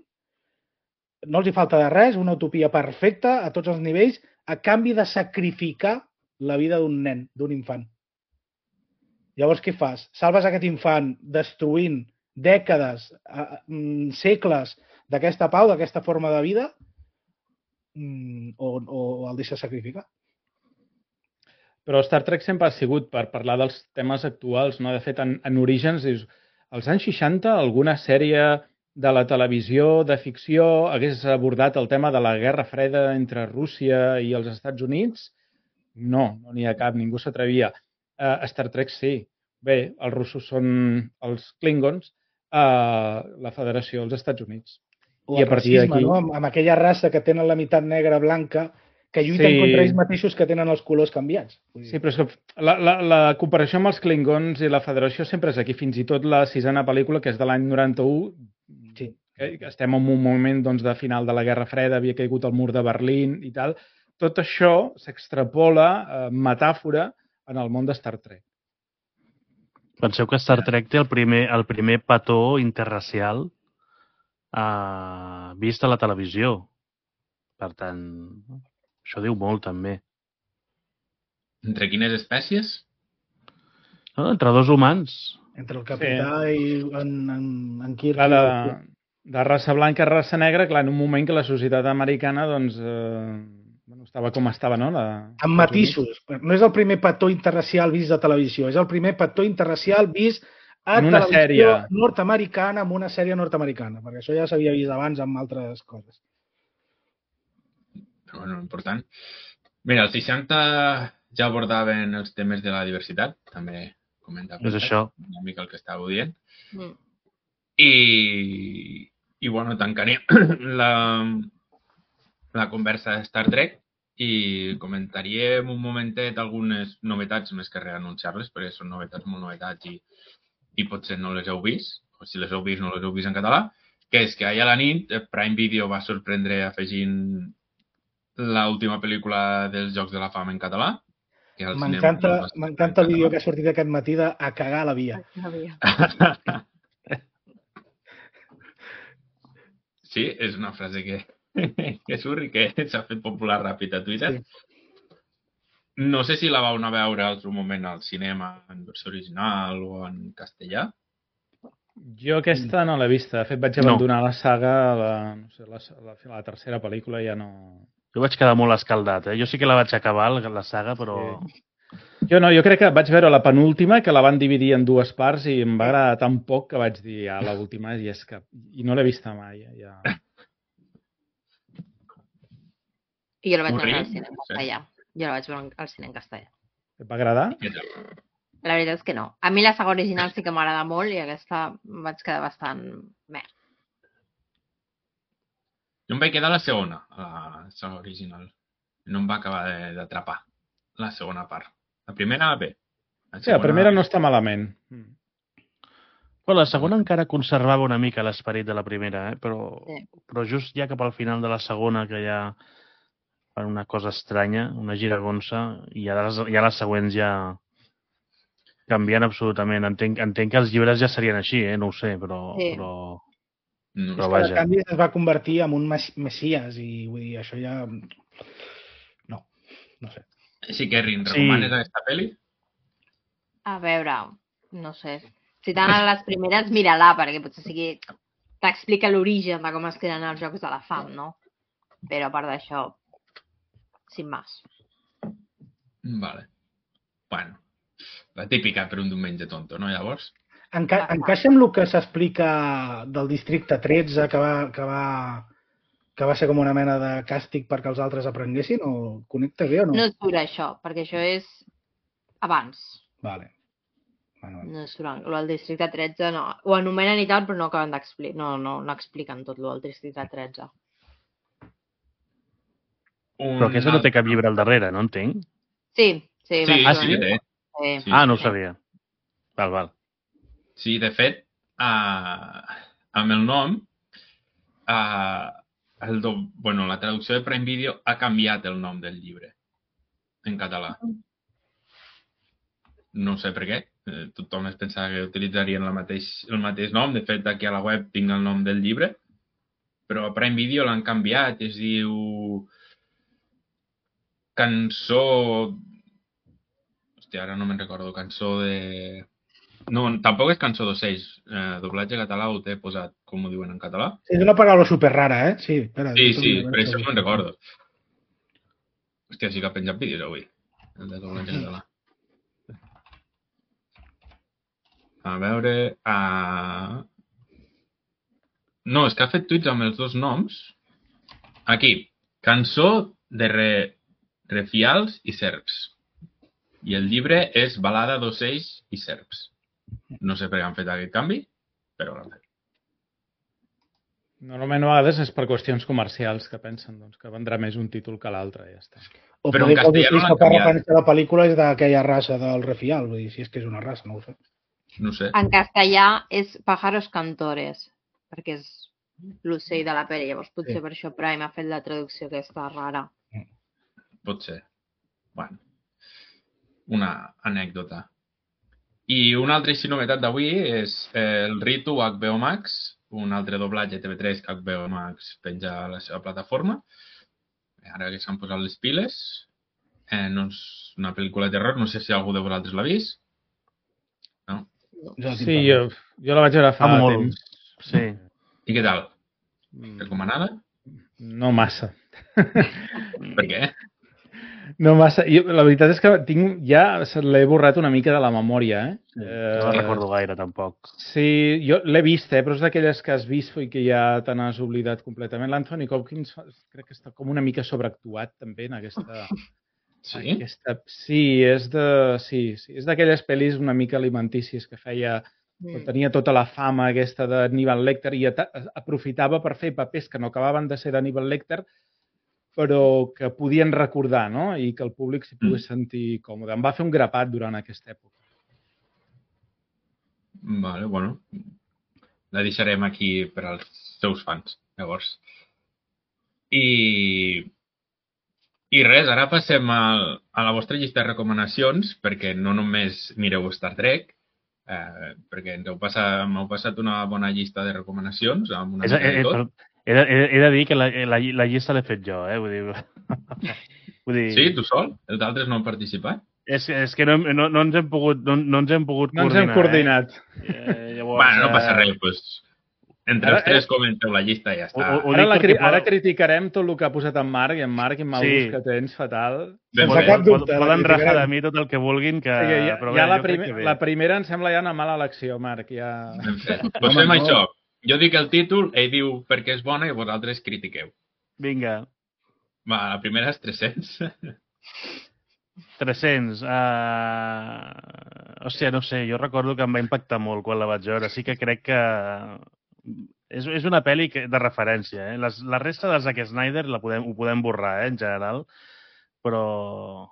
no els hi falta de res, una utopia perfecta a tots els nivells, a canvi de sacrificar la vida d'un nen, d'un infant. Llavors, què fas? Salves aquest infant destruint dècades, segles d'aquesta pau, d'aquesta forma de vida, o el deixes sacrificar? Però Star Trek sempre ha sigut per parlar dels temes actuals, no? De fet, en Orígens, dius, als anys 60, alguna sèrie de la televisió de ficció hagués abordat el tema de la Guerra Freda entre Rússia i els Estats Units? No n'hi ha cap, ningú s'atrevia. Star Trek sí. Bé, els russos són els Klingons, la Federació dels Estats Units. O el racisme, no? Amb aquella raça que tenen la meitat negra blanca, que lluiten contra ells mateixos que tenen els colors canviats. Sí, però és que la comparació amb els Klingons i la Federació sempre és aquí, fins i tot la 6a pel·lícula, que és de l'any 91, sí. Estem en un moment de final de la Guerra Freda, havia caigut el mur de Berlín i tal. Tot això s'extrapola, metàfora, en el món de Star Trek. Penseu que Star Trek té el primer petó interracial vist a la televisió. Per tant, això diu molt, també. Entre quines espècies? Entre dos humans. Entre el capità i en Kirk. De raça blanca a raça negra, clar, en un moment que la societat americana estava com estava, no? Amb matisos. No és el primer petó interracial vist a televisió, és el primer petó interracial vist a televisió nord-americana, amb una sèrie nord-americana, perquè això ja s'havia vist abans amb altres coses. Però, bueno, important. Mira, els 60 ja abordaven els temes de la diversitat, també comentava una mica el que estàveu dient. I bueno, tancaré la conversa de Star Trek i comentaríem un momentet algunes novetats més que reanunciar-les, perquè són novetats molt novetats i potser no les heu vist, o si les heu vist no les heu vist en català, que és que ahir a la nit Prime Video va sorprendre afegint l'última pel·lícula dels Jocs de la Fama en català. M'encanta el vídeo que ha sortit aquest matí de a cagar a la via. Sí, és una frase que surt i que s'ha fet popular ràpid a Twitter. Sí. No sé si la vau anar a veure al seu moment al cinema en versió original o en castellà. Jo aquesta no l'he vista. De fet, vaig abandonar la saga la tercera pel·lícula ja no... Jo vaig quedar molt escaldat, Jo sí que la vaig acabar, la saga, però... Sí. Jo no, jo crec que vaig veure la penúltima, que la van dividir en dues parts i em va agradar tan poc que vaig dir, l'última, i és que... I no l'he vista mai, ja. I jo la vaig veure al cine en castellà. Jo la vaig veure al cine en castellà. Et va agradar? La veritat és que no. A mi la saga original sí que m'agrada molt i aquesta vaig quedar bastant... Meh. Jo em vaig quedar a la segona, a la saga original. No em va acabar d'atrapar la segona part. La primera, bé. Sí, la primera no està malament. Però la segona encara conservava una mica l'esperit de la primera, però just ja cap al final de la segona, que ja fan una cosa estranya, una giragonsa, i ja les següents ja canvien absolutament. Entenc que els llibres ja serien així, no ho sé, però vaja. En canvi es va convertir en un messies i vull dir, això ja... No sé. Sí, Kerrin, recomanes aquesta pel·li? A veure, no sé. Si t'han a les primeres, mira-la, perquè potser sigui... T'explica l'origen de com es creen els Jocs de la Fam, no? Però a part d'això, sin más. Vale. Bueno, la típica per un diumenge tonto, no, llavors? Encaixa amb el que s'explica del districte 13, que va ser com una mena de càstig perquè els altres aprenguessin, o connecta bé o no? No surt això, perquè això és abans. Vale. No surt. El districte 13 no. Ho anomenen i tal, però no acaben d'explicar. No expliquen tot el districte 13. Però aquesta no té cap llibre al darrere, no entenc? Sí. Sí. No ho sabia. Val. Sí, de fet, amb el nom, la traducció de Prime Video ha canviat el nom del llibre en català. No sé per què. Tothom es pensava que utilitzarien el mateix nom. De fet, aquí a la web tinc el nom del llibre, però a Prime Video l'han canviat. Es diu... Cançó... Hòstia, ara no me'n recordo. Cançó de... No, tampoc és Cançó d'ocells. Doblatge català ho té posat, com ho diuen en català. És una paraula superrara, Sí, espera, sí, per això me'n recordo. Hòstia, sí que ha penjat vídeos avui. El de doblatge català. A veure... No, és que ha fet tuits amb els dos noms. Aquí. Cançó de refials i serps. I el llibre és Balada d'ocells i serps. No sé per què han fet aquest canvi, però l'han fet. Normalment a vegades és per qüestions comercials que pensen que vendrà més un títol que l'altre, ja està. O però en castellà no l'han canviat. La pel·lícula és d'aquella raça del refial, vull dir, si és que és una raça, no ho sé. No sé. En castellà és Pájaros Cantores, perquè és l'ocell de la pel·li, llavors potser per això Prime ha fet la traducció aquesta rara. Pot ser. Bueno, una anècdota. I una altra novetat d'avui és el Ritu HBO Max, un altre doblatge TV3 que HBO Max penja a la seva plataforma. Ara que s'han posat les piles, no és una pel·lícula de terror, no sé si algú de vosaltres l'ha vist. No? Sí, jo la vaig veure fa temps. Sí. I què tal? Recomanada? No massa. Per què? No massa. La veritat és que ja l'he borrat una mica de la memòria, No recordo gaire, tampoc. Sí, jo l'he vist, però és d'aquelles que has vist i que ja te n'has oblidat completament. L'Anthony Hopkins crec que està com una mica sobreactuat també en aquesta... Sí? Sí, és d'aquelles pel·lis una mica alimentícies que feia... Tenia tota la fama aquesta d'Hannibal Lecter i aprofitava per fer papers que no acabaven de ser d'Hannibal Lecter, però que podien recordar, no? I que el públic s'hi pogués sentir còmode. Em va fer un grapat durant aquesta època. Vale, bueno. La deixarem aquí per als seus fans, llavors. I res, ara passem a la vostra llista de recomanacions, perquè no només mireu Star Trek, perquè m'heu passat una bona llista de recomanacions amb una mica de tot. He de dir que la llista l'he fet jo, Vull dir... Sí, tu sol? Els altres no han participat? És que no ens hem pogut coordinar. No ens hem coordinat. Llavors, bueno, no passa res, doncs Entre els tres comenteu la llista i ja està. Ara criticarem tot el que ha posat en Marc, i en Marc, quin mal gust que tens, fatal. Sense cap dubte. Poden rajar de mi tot el que vulguin, que... La primera em sembla ja una mala elecció, Marc. Doncs fem això. Jo dic el títol, ell diu perquè és bona i vosaltres critiqueu. Vinga. Va, la primera és 300. 300. Hòstia, no sé, jo recordo que em va impactar molt quan la vaig veure. Sí que crec que és una pel·li de referència. La resta de Zack Snyder ho podem borrar, en general, però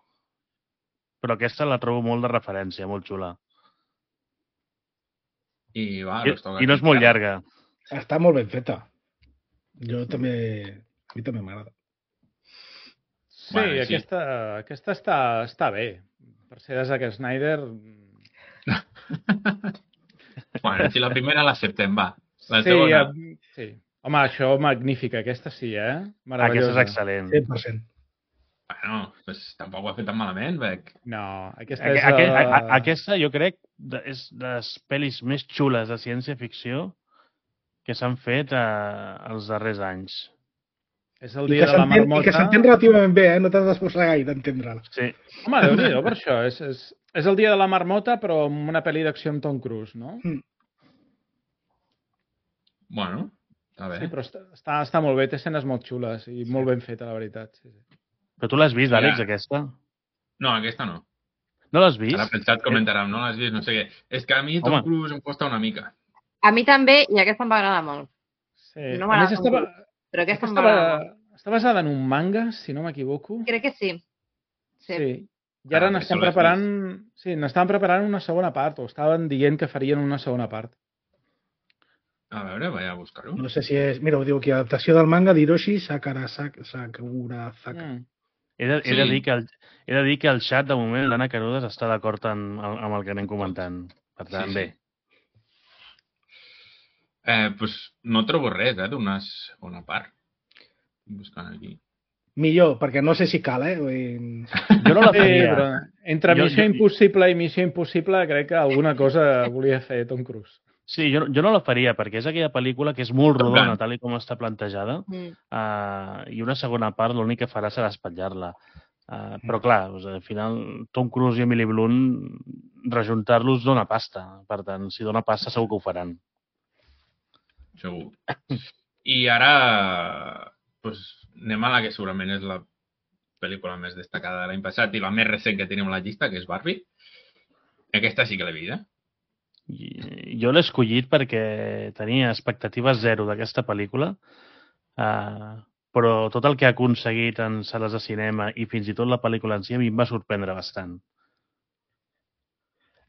aquesta la trobo molt de referència, molt xula. I no és molt llarga. Està molt ben feta. A mi també m'agrada. Sí, aquesta està bé. Per ser de Zack Snyder... Bueno, si la primera l'acceptem, va. Sí. Home, això magnífica. Aquesta sí, Aquesta és excel·lent. 100%. Bueno, pues tampoc ho ha fet tan malament, Bec. No, aquesta és... Aquesta, jo crec, és de les pel·lis més xules de ciència-ficció que s'han fet els darrers anys. És el dia de la marmota... I que s'entén relativament bé, no t'has d'esforçar gaire d'entendre-la. Sí. Home, Déu-n'hi-do, per això. És el dia de la marmota, però amb una pel·li d'acció amb Tom Cruise, no? Bueno, està bé. Sí, però està molt bé, té escenes molt xules i molt ben feta, la veritat. Sí. Però tu l'has vist, Àlex, aquesta? No, aquesta no. No l'has vist? Ara pensat comentàrem, no l'has vist, no sé què. És que a mi Tom Cruise em costa una mica. A mi també, i aquesta em va agradar molt. Sí. No m'agrada però aquesta em va agradar molt. Està basada en un manga, si no m'equivoco. Crec que sí. Sí. I ara n'estan preparant una segona part, o estaven dient que farien una segona part. A veure, vaig a buscar-ho. No sé si és... Mira, ho diu aquí, adaptació del manga d'Hiroshi Sakurazaka. He de dir que el xat, de moment, l'Anna Carudes està d'acord amb el que anem comentant. Per tant, bé. Pues no trobo res, d'una segona part. Buscant aquí. Millor, perquè no sé si cal, Jo no la faria. Però entre Missió Impossible i Missió Impossible crec que alguna cosa volia fer Tom Cruise. Sí, jo no la faria, perquè és aquella pel·lícula que és molt rodona, tal com està plantejada, i una segona part l'únic que farà serà espatllar-la. Però clar, al final, Tom Cruise i Emily Blunt, rejuntar-los dona pasta. Per tant, si dona pasta segur que ho faran. Segur. I ara anem a la que segurament és la pel·lícula més destacada de l'any passat i la més recent que tenim a la llista, que és Barbie. Aquesta sí que l'he vist, Jo l'he escollit perquè tenia expectatives zero d'aquesta pel·lícula, però tot el que ha aconseguit en sales de cinema i fins i tot la pel·lícula en si a mi em va sorprendre bastant.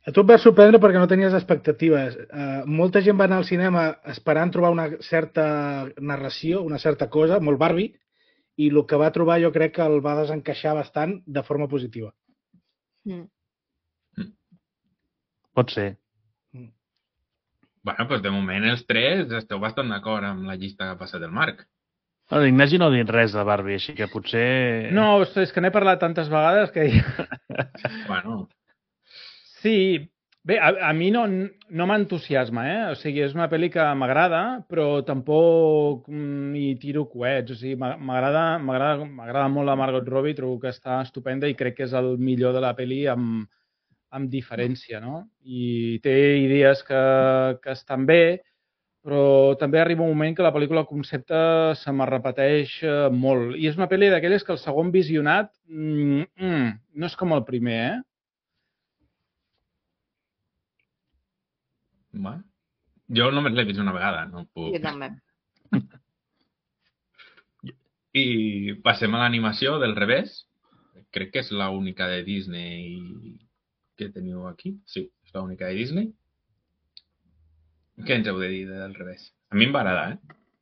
A tu et va sorprendre perquè no tenies expectatives. Molta gent va anar al cinema esperant trobar una certa narració, una certa cosa, molt Barbie, i el que va trobar jo crec que el va desencaixar bastant de forma positiva. Pot ser. Bueno, doncs de moment els tres esteu bastant d'acord amb la llista que ha passat el Marc. L'Ignasi no ha dit res de Barbie, així que potser... No, és que n'he parlat tantes vegades que... Bueno... Sí, bé, a mi no m'entusiasma, O sigui, és una pel·li que m'agrada, però tampoc hi tiro coets. O sigui, m'agrada molt la Margot Robbie, trobo que està estupenda i crec que és el millor de la pel·li amb diferència, no? I té idees que estan bé, però també arriba un moment que la pel·lícula concepte se me repeteix molt. I és una pel·li d'aquelles que el segon visionat no és com el primer, Bueno, jo només l'he vist una vegada, no puc... Jo també. I passem a l'animació del revés. Crec que és l'única de Disney que teniu aquí. Sí, és l'única de Disney. Què ens heu de dir del revés? A mi em va agradar,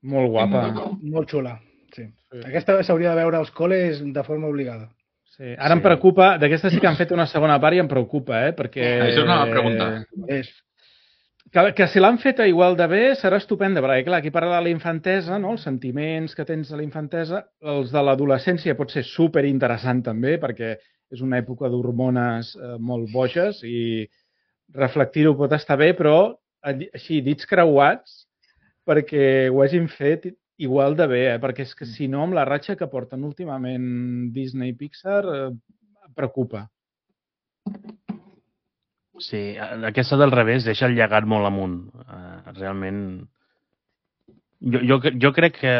Molt guapa. Molt xula, sí. Aquesta s'hauria de veure als col·les de forma obligada. Sí. Ara em preocupa, d'aquesta sí que han fet una segona part i em preocupa, perquè... Això és una pregunta. Que si l'han feta igual de bé serà estupenda, perquè clar, aquí parla de la infantesa, no? Els sentiments que tens a la infantesa, els de l'adolescència pot ser superinteressant també, perquè és una època d'hormones molt boges i reflectir-ho pot estar bé, però així, dits creuats, perquè ho hagin fet igual de bé, perquè és que si no, amb la ratxa que porten últimament Disney i Pixar, preocupa. Sí, aquesta del revés deixa el llegat molt amunt. Realment... Jo crec que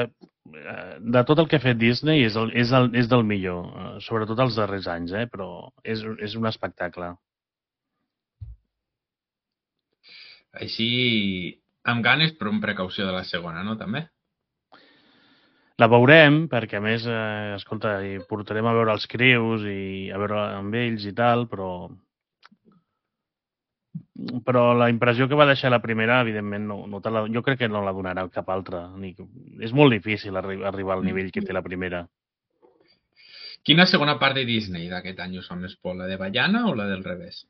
de tot el que ha fet Disney és del millor, sobretot els darrers anys, però és un espectacle. Així, amb ganes, però amb precaució de la segona, no, també? La veurem, perquè a més, escolta, hi portarem a veure els crius i a veure amb ells i tal, però la impressió que va deixar la primera, evidentment, jo crec que no la donarà cap altra. És molt difícil arribar al nivell que té la primera. Quina segona part de Disney d'aquest any us fa més por, la de Vaiana o la del revés?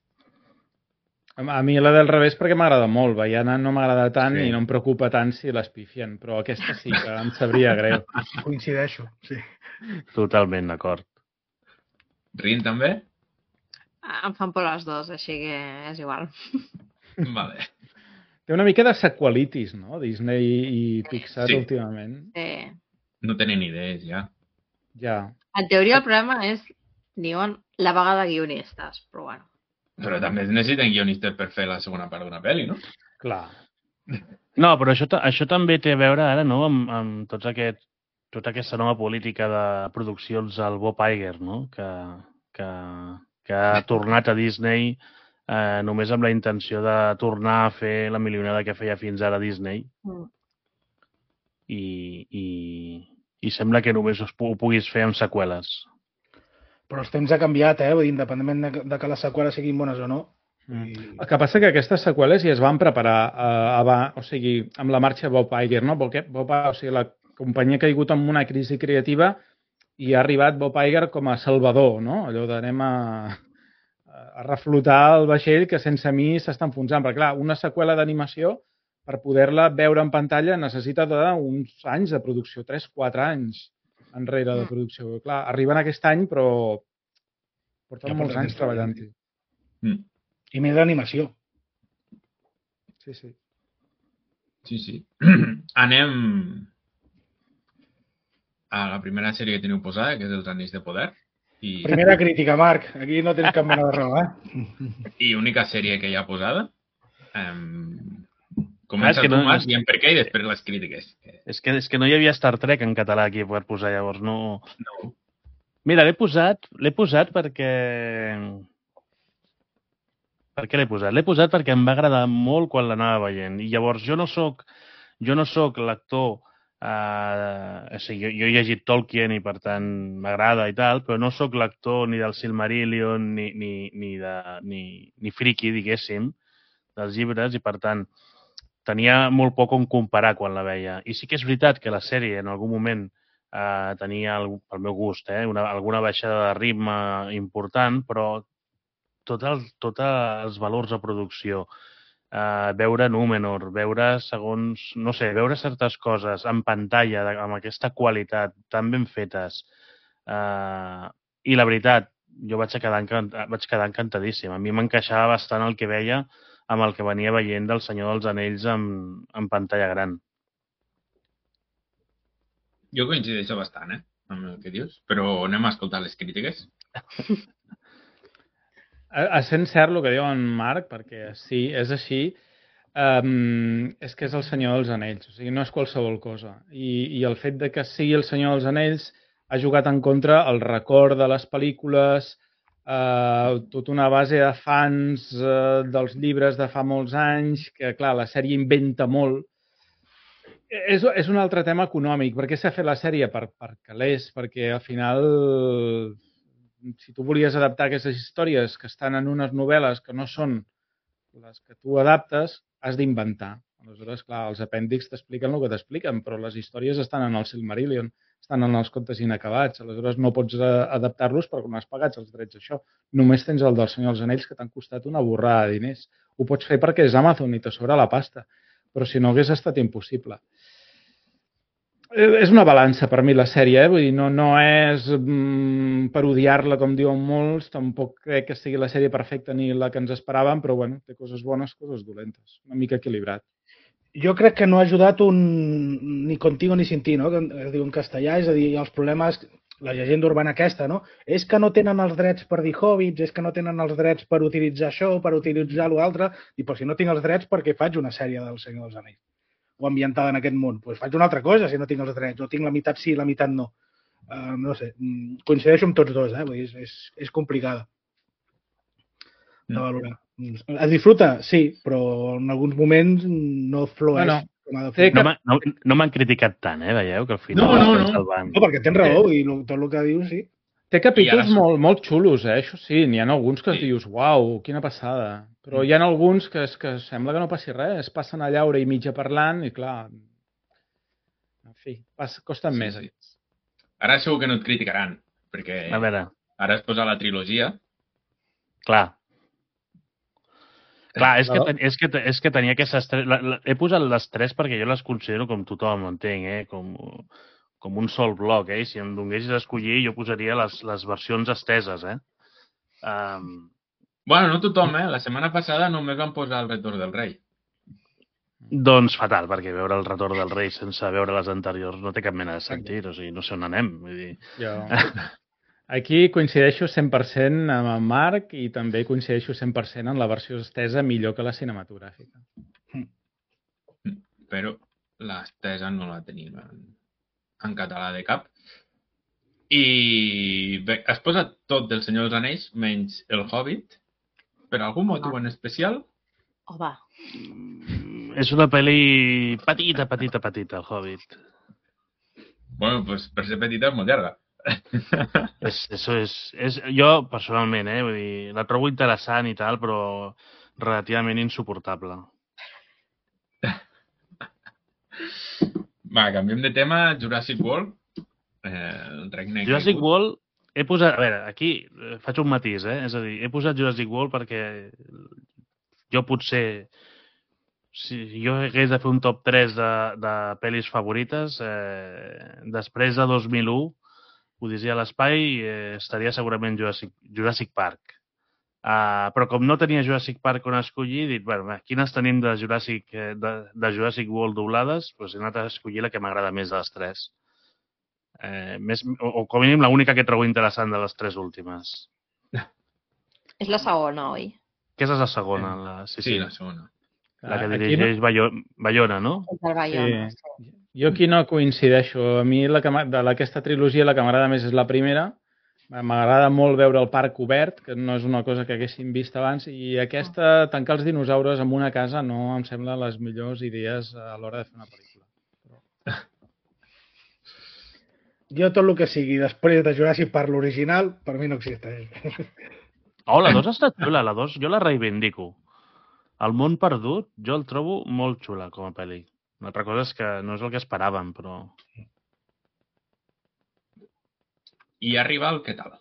A mi la del revés perquè m'agrada molt. Vaiana no m'agrada tant i no em preocupa tant si l'espifien, però aquesta sí que em sabria greu. Coincideixo, sí. Totalment d'acord. Rin també? Em fan por les dues, així que és igual. Vale. Té una mica de sequelitis, no? Disney i Pixar últimament. Sí. No tenen idees, ja. Ja. En teoria el problema és, diuen, la vaga de guionistes, però bueno. Però també necessiten guionistes per fer la segona part d'una pel·li, no? Clar. No, però això també té a veure ara, no?, amb tota aquesta nova política de produccions al Bob Iger, no?, que ha tornat a Disney només amb la intenció de tornar a fer la milionada que feia fins ara Disney. I sembla que només ho puguis fer amb seqüeles. Però els temps ha canviat, vull dir, independentment de que les seqüeles siguin bones o no. El que passa que aquestes seqüeles ja es van preparar o sigui, amb la marxa Bob Iger, no? Perquè la companyia ha caigut en una crisi creativa i ha arribat Bob Iger com a salvador, no? Allò d'anem a reflotar el vaixell que sense mi s'està enfonsant. Perquè, clar, una seqüela d'animació, per poder-la veure en pantalla, necessita uns anys de producció, 3-4 anys enrere de producció. Clar, arriben aquest any, però porten molts anys treballant-hi. I més d'animació. Sí, sí. Sí, sí. Anem a la primera sèrie que teniu posada, que és Els Anells de Poder. Primera crítica, Marc. Aquí no tens cap mena de raó, I única sèrie que hi ha posada. Comença tu, Marc, dient per què i després les crítiques. És que no hi havia Star Trek en català aquí per posar, llavors no... Mira, l'he posat perquè... Per què l'he posat? L'he posat perquè em va agradar molt quan l'anava veient. I llavors jo no soc l'actor... O sigui, jo he llegit Tolkien i per tant m'agrada i tal, però no sóc l'actor ni del Silmarillion ni friki, diguéssim, dels llibres, i per tant tenia molt poc on comparar quan la veia. I sí que és veritat que la sèrie en algun moment tenia, pel meu gust, alguna baixada de ritme important, però tots els valors de producció, veure Númenor, veure veure certes coses en pantalla amb aquesta qualitat tan ben fetes, i la veritat, jo vaig quedar encantadíssim. A mi m'encaixava bastant el que veia amb el que venia veient del Senyor dels Anells en pantalla gran. Jo coincideixo bastant, amb el que dius, però anem a escoltar les crítiques. Essent cert el que diu en Marc, perquè sí, és així, és que és el Senyor dels Anells, o sigui, no és qualsevol cosa. I el fet de que sigui el Senyor dels Anells ha jugat en contra el record de les pel·lícules, tota una base de fans dels llibres de fa molts anys, que, clar, la sèrie inventa molt. És un altre tema econòmic. Per què s'ha fet la sèrie? Per calés, perquè al final, si tu volies adaptar aquestes històries que estan en unes novel·les que no són les que tu adaptes, has d'inventar. Aleshores, clar, els apèndixs t'expliquen el que t'expliquen, però les històries estan en el Silmarillion, estan en els contes inacabats. Aleshores, no pots adaptar-los perquè no has pagat els drets d'això. Només tens el del Senyor dels Anells, que t'han costat una borrada de diners. Ho pots fer perquè és Amazon i te sobra la pasta, però si no hagués estat impossible. És una balança per mi la sèrie, vull dir, no és per odiar-la com diuen molts, tampoc crec que sigui la sèrie perfecta ni la que ens esperàvem, però bueno, té coses bones, coses dolentes, una mica equilibrat. Jo crec que no ha ajudat ni contigo ni sin ti, no? Que es diu en castellà, és a dir, els problemes, la llegenda urbana aquesta, no? És que no tenen els drets per dir hobbits, és que no tenen els drets per utilitzar això, per utilitzar l'altre, i però si no tinc els drets, perquè faig una sèrie del Senyor dels Anells? O ambientada en aquest món? Doncs faig una altra cosa si no tinc els drets, o tinc la meitat sí i la meitat no. No sé, coincideixo amb tots dos, Vull dir, és complicada de valorar. Es disfruta, sí, però en alguns moments no flueix. Com ha de fluir. No m'han criticat tant, veieu? Que al final No, perquè tens raó, i tot el que dius, sí. Té capítols molt xulos, això sí. N'hi ha alguns que dius, uau, quina passada. Però hi ha alguns que sembla que no passi res. Es passen allà hora i mitja parlant i, clar, en fi, costen més. Ara segur que no et criticaran, perquè ara es posa la trilogia. Clar, és que tenia aquestes tres... He posat les tres perquè jo les considero com tothom, entenc, com un sol bloc, I si em donguessis a escollir jo posaria les versions esteses, Bueno, no tothom, La setmana passada només van posar el Retorn del Rei. Doncs fatal, perquè veure el Retorn del Rei sense veure les anteriors no té cap mena de sentit, o sigui, no sé on anem, vull dir... Aquí coincideixo 100% amb el Marc i també coincideixo 100% en la versió estesa millor que la cinematogràfica. Però l'estesa no la tenim en català de cap. I bé, has posat tot del Senyor dels Anells, menys el Hobbit, per algun motiu en especial? Va. És una pel·li petita, el Hobbit. Bueno, pues per ser petita és molt llarga. Jo, personalment, vull dir, la trobo interessant i tal, però relativament insuportable. Va, canviem de tema. Jurassic World. Jurassic World, he posat... A veure, aquí faig un matís, És a dir, he posat Jurassic World perquè jo potser... Si jo hagués de fer un top 3 de pel·lis favorites, després de 2001, Odissea a l'espai, estaria segurament Jurassic Park. Però com no tenia Jurassic Park on escollir, he dit, bueno, quines tenim de Jurassic World doblades? Doncs he anat a escollir la que m'agrada més de les tres. O com a mínim l'única que trobo interessant de les tres últimes. És la segona, oi? Aquesta és la segona. Sí, la segona. La que dirigeix Bayona, no? El Bayona, sí. Jo aquí no coincideixo. A mi d'aquesta trilogia la que m'agrada més és la primera. M'agrada molt veure el parc obert, que no és una cosa que haguéssim vist abans, i aquesta, tancar els dinosaures en una casa, no em sembla les millors idees a l'hora de fer una pel·lícula. Jo tot el que sigui després de Jurassic Park l'original, per mi no existeix. La 2 ha estat xula, la 2 jo la reivindico. El món perdut jo el trobo molt xula com a pel·li. Una altra cosa és que no és el que esperàvem, però... I Arrival, què tal?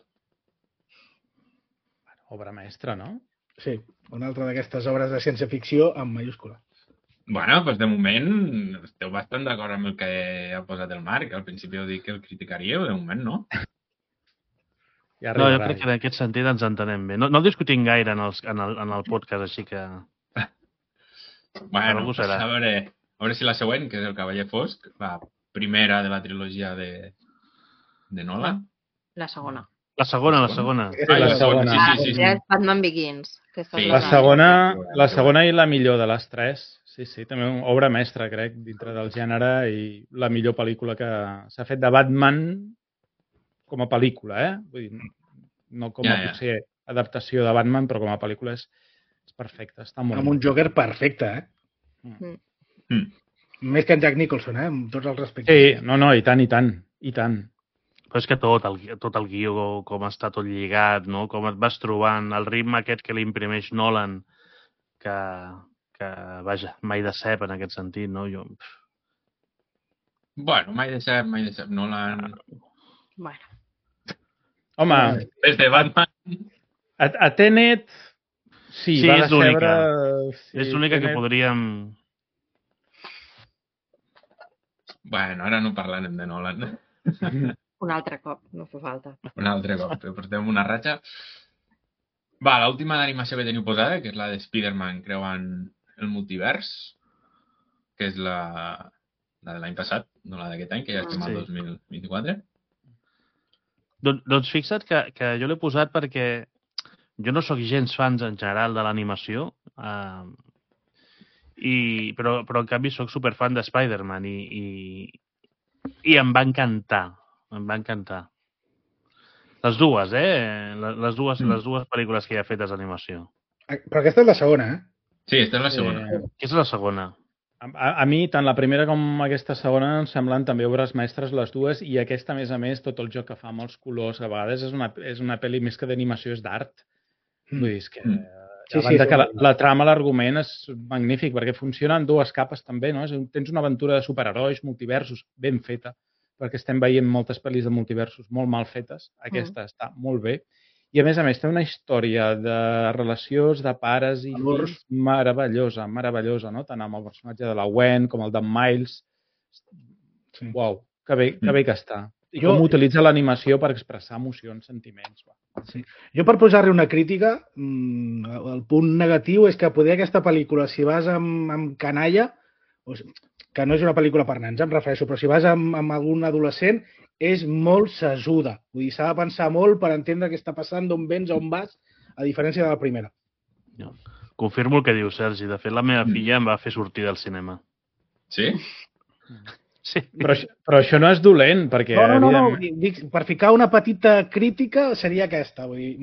Obra mestra, no? Sí, una altra d'aquestes obres de ciència-ficció amb mayúscula. Bueno, doncs de moment esteu bastant d'acord amb el que ha posat el Marc. Al principi heu dit que el criticaríeu, de moment no. No, jo crec que en aquest sentit ens entenem bé. No discutim gaire en el podcast, així que... Bueno, a veure si la següent, que és el Cavaller Fosc, la primera de la trilogia de Nolan. La segona. La segona. La segona. Sí. Batman Begins. La segona i la millor de les tres. Sí, també una obra mestra, crec, dintre del gènere i la millor pel·lícula que s'ha fet de Batman com a pel·lícula, Vull dir, no com a potser adaptació de Batman, però com a pel·lícula és perfecte, està molt... Amb un Joker perfecte, Més que en Jack Nicholson, amb tots els respectes. Sí, no, i tant. Però és que tot el guió, com està tot lligat, no? Com et vas trobant, el ritme aquest que li imprimeix Nolan, que vaja, mai de cep en aquest sentit, no? Bueno, mai de cep, Nolan... Bueno. Home... Des de Batman... A Tenet... Sí, és l'única. És l'única que podríem... Bueno, ara no parlarem de Nolan. Un altre cop, no fa falta. Un altre cop, portem una ratxa. Va, l'última d'animació que teniu posada, que és la de Spider-Man creuant el multivers. que és la de l'any passat, no la d'aquest any, que ja estem al 2024. Doncs fixa't que jo l'he posat perquè jo no sóc gens fans en general de l'animació, però en canvi sóc superfan de Spider-Man i em va encantar. Em va encantar. Les dues, les dues pel·lícules que hi ha fetes d'animació. Però aquesta és la segona, eh? Sí, aquesta és la segona. Aquesta és la segona. A mi, tant la primera com aquesta segona em semblen també obres mestres les dues, i aquesta, a més, tot el joc que fa amb els colors, a vegades és una pel·li més que d'animació, és d'art. Vull dir, és que a banda que la trama, l'argument és magnífic, perquè funciona en dues capes també, no? Tens una aventura de superherois, multiversos, ben feta, perquè estem veient moltes pel·lis de multiversos molt mal fetes. Aquesta està molt bé. I, a més, té una història de relacions de pares i fills meravellosa, no? Tant amb el personatge de la Gwen com el d'en Miles. Uau, que bé que està. I com utilitza l'animació per expressar emocions, sentiments. Sí. Jo, per posar-li una crítica, el punt negatiu és que poder aquesta pel·lícula, si vas amb canalla, que no és una pel·lícula per nens, em refereixo, però si vas amb algun adolescent, és molt sesuda. Vull dir, s'ha de pensar molt per entendre què està passant, d'on vens, on vas, a diferència de la primera. Confirmo el que diu Sergi. De fet, la meva filla em va fer sortir del cinema. Sí? Sí. Però això no és dolent, perquè... No. Dic, per ficar una petita crítica seria aquesta. Vull dir,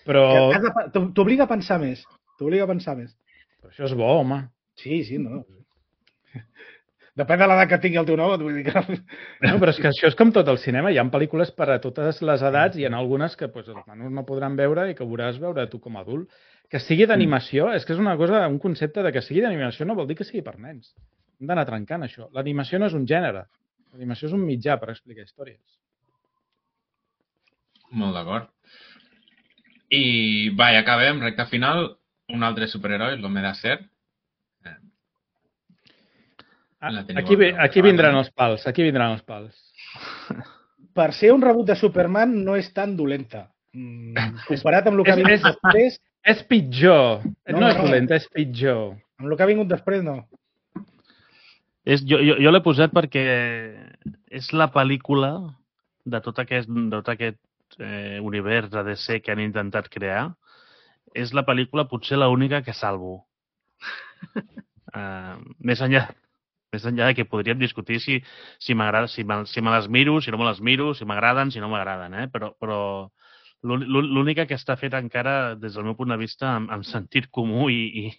però... T'obliga a pensar més. T'obliga a pensar més. Però això és bo, home. Sí, no. Depèn de l'edat que tingui el teu nebot, vull dir que... No, però és que això és com tot el cinema. Hi ha pel·lícules per a totes les edats i en algunes que els nanos no podran veure i que hauràs veure tu com a adult. Que sigui d'animació, és que és una cosa, un concepte de que sigui d'animació no vol dir que sigui per nens. Hem d'anar trencant això. L'animació no és un gènere. L'animació és un mitjà per explicar històries. Molt d'acord. I, ja acabem, recta final. Un altre superheroi, l'Home d'Acer. Aquí vindran els pals, Per ser un rebut de Superman no és tan dolenta. Comparat amb el que ha vingut després... És pitjor. No és dolenta, és pitjor. Amb el que ha vingut després, no. Jo l'he posat perquè és la pel·lícula de tot aquest univers de DC que han intentat crear. És la pel·lícula potser l'única que salvo. Més enllà de que podríem discutir si m'agrada, si me les miro, si no me les miro, si m'agraden, si no m'agraden, però l'única que està feta encara, des del meu punt de vista, amb sentit comú i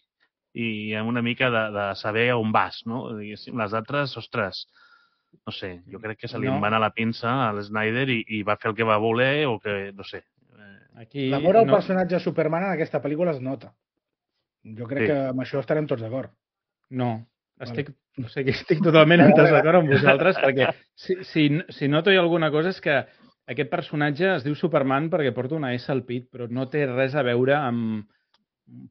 amb una mica de saber on vas, no? Les altres, ostres, no sé, jo crec que se li va anar la pinça a l'Snyder i va fer el que va voler o que, no sé. L'amor al personatge de Superman en aquesta pel·lícula es nota. Jo crec que amb això estarem tots d'acord. No. Estic totalment en desacord amb vosaltres, perquè si noto alguna cosa és que aquest personatge es diu Superman perquè porta una S al pit, però no té res a veure amb,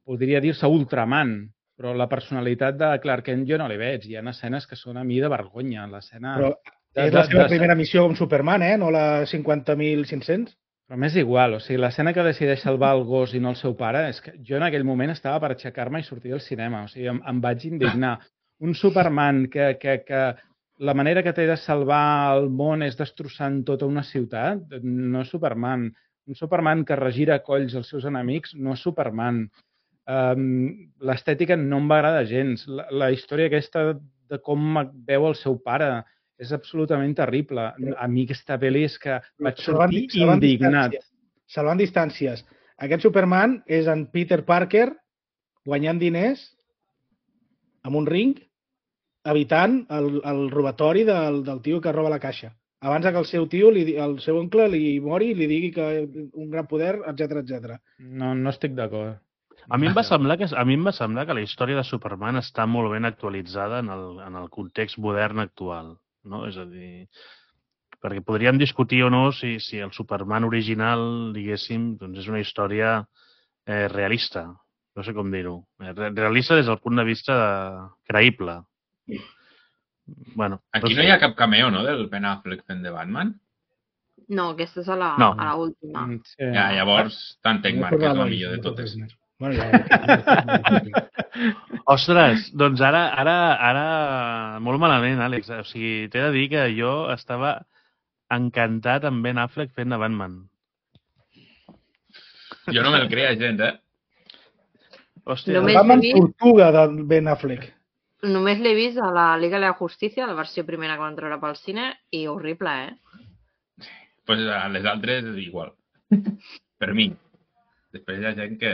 podria dir-se Ultraman, però la personalitat de Clark Kent jo no li veig. Hi ha escenes que són a mi de vergonya. Però és la seva primera missió com Superman, no la 50.500? Però m'és igual, o sigui, l'escena que decideix salvar el gos i no el seu pare, és que jo en aquell moment estava per aixecar-me i sortir del cinema, o sigui, em vaig indignar. Un Superman que la manera que té de salvar el món és destrossant tota una ciutat, no és Superman. Un Superman que regira colls als seus enemics no és Superman. L'estètica no em va agradar gens. La història aquesta de com veu el seu pare és absolutament terrible. A mi aquesta pel·li és que vaig sortir indignat. Salvant distàncies. Aquest Superman és en Peter Parker guanyant diners amb un ring, evitant el robatori del tio que roba la caixa. Abans que el seu tio, el seu oncle, li mori i li digui que un gran poder, etc. No estic d'acord. A mi em va semblar que la història de Superman està molt ben actualitzada en el context modern actual. No? És a dir, perquè podríem discutir o no si el Superman original, diguéssim, doncs és una història realista. No sé com dir-ho. Realista des del punt de vista creïble. Bueno, aquí no hi ha cap cameo, no?, del Ben Affleck fent de Batman? No, aquesta és a l'última. Sí. Ja, llavors t'entenc, Marc, que és la millor de totes. Bueno, ja... Ostres, doncs ara molt malament, Àlex. O sigui, t'he de dir que jo estava encantat amb Ben Affleck fent de Batman. Jo no me'l creia gens, Hòstia, El Batman Tortuga de Ben Affleck. Només l'he vist a la Liga de la Justícia, la versió primera que van treure pel cine, i horrible, Pues a les altres igual. Per mi. Després hi ha gent que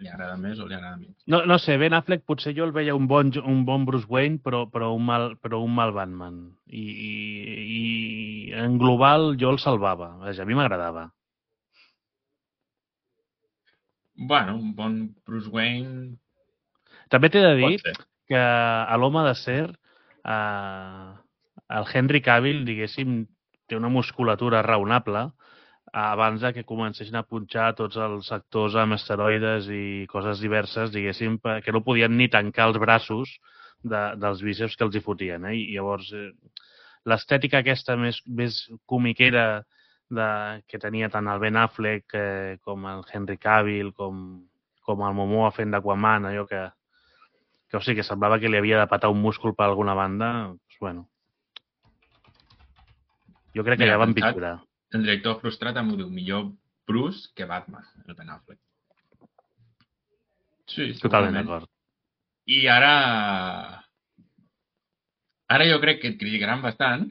li agrada més o li agrada menys. no sé, Ben Affleck potser jo el veia un bon Bruce Wayne, però un mal Batman. I en global jo el salvava. Vaja, a mi m'agradava. Bueno, un bon Bruce Wayne... També t'he de dir Pot ser. que a l'Home de Ser el Henry Cavill, diguéssim, té una musculatura raonable abans que comencessin a punxar tots els actors amb esteroides i coses diverses, diguéssim, que no podien ni tancar els braços dels bíceps que els hi fotien. I llavors, l'estètica aquesta més comiquera que tenia tant el Ben Affleck com el Henry Cavill, com el Momoa fent d'Aquaman, allò que o sigui, que semblava que li havia de patar un múscul per alguna banda, doncs, bueno. Jo crec que ja van pitjorar. El director frustrat em diu millor Bruce que Batman, el Ben Affleck. Sí, totalment d'acord. I ara jo crec que et criticaran bastant,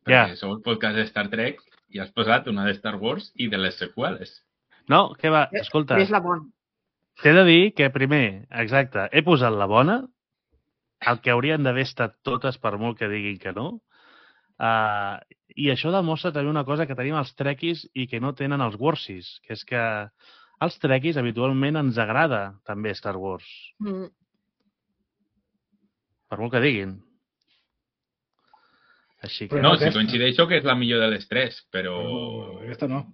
perquè sou el podcast de Star Trek i has posat una de Star Wars i de les seqüeles. No, què va? Escolta. És la bona. T'he de dir que primer, exacte, he posat la bona, el que haurien d'haver estat totes per molt que diguin que no, i això demostra també una cosa que tenim els trekkies i que no tenen els Warsies, que és que als trekkies habitualment ens agrada també Star Wars. Per molt que diguin. Així que... No, si coincideixo que és la millor de les tres, però... Aquesta no.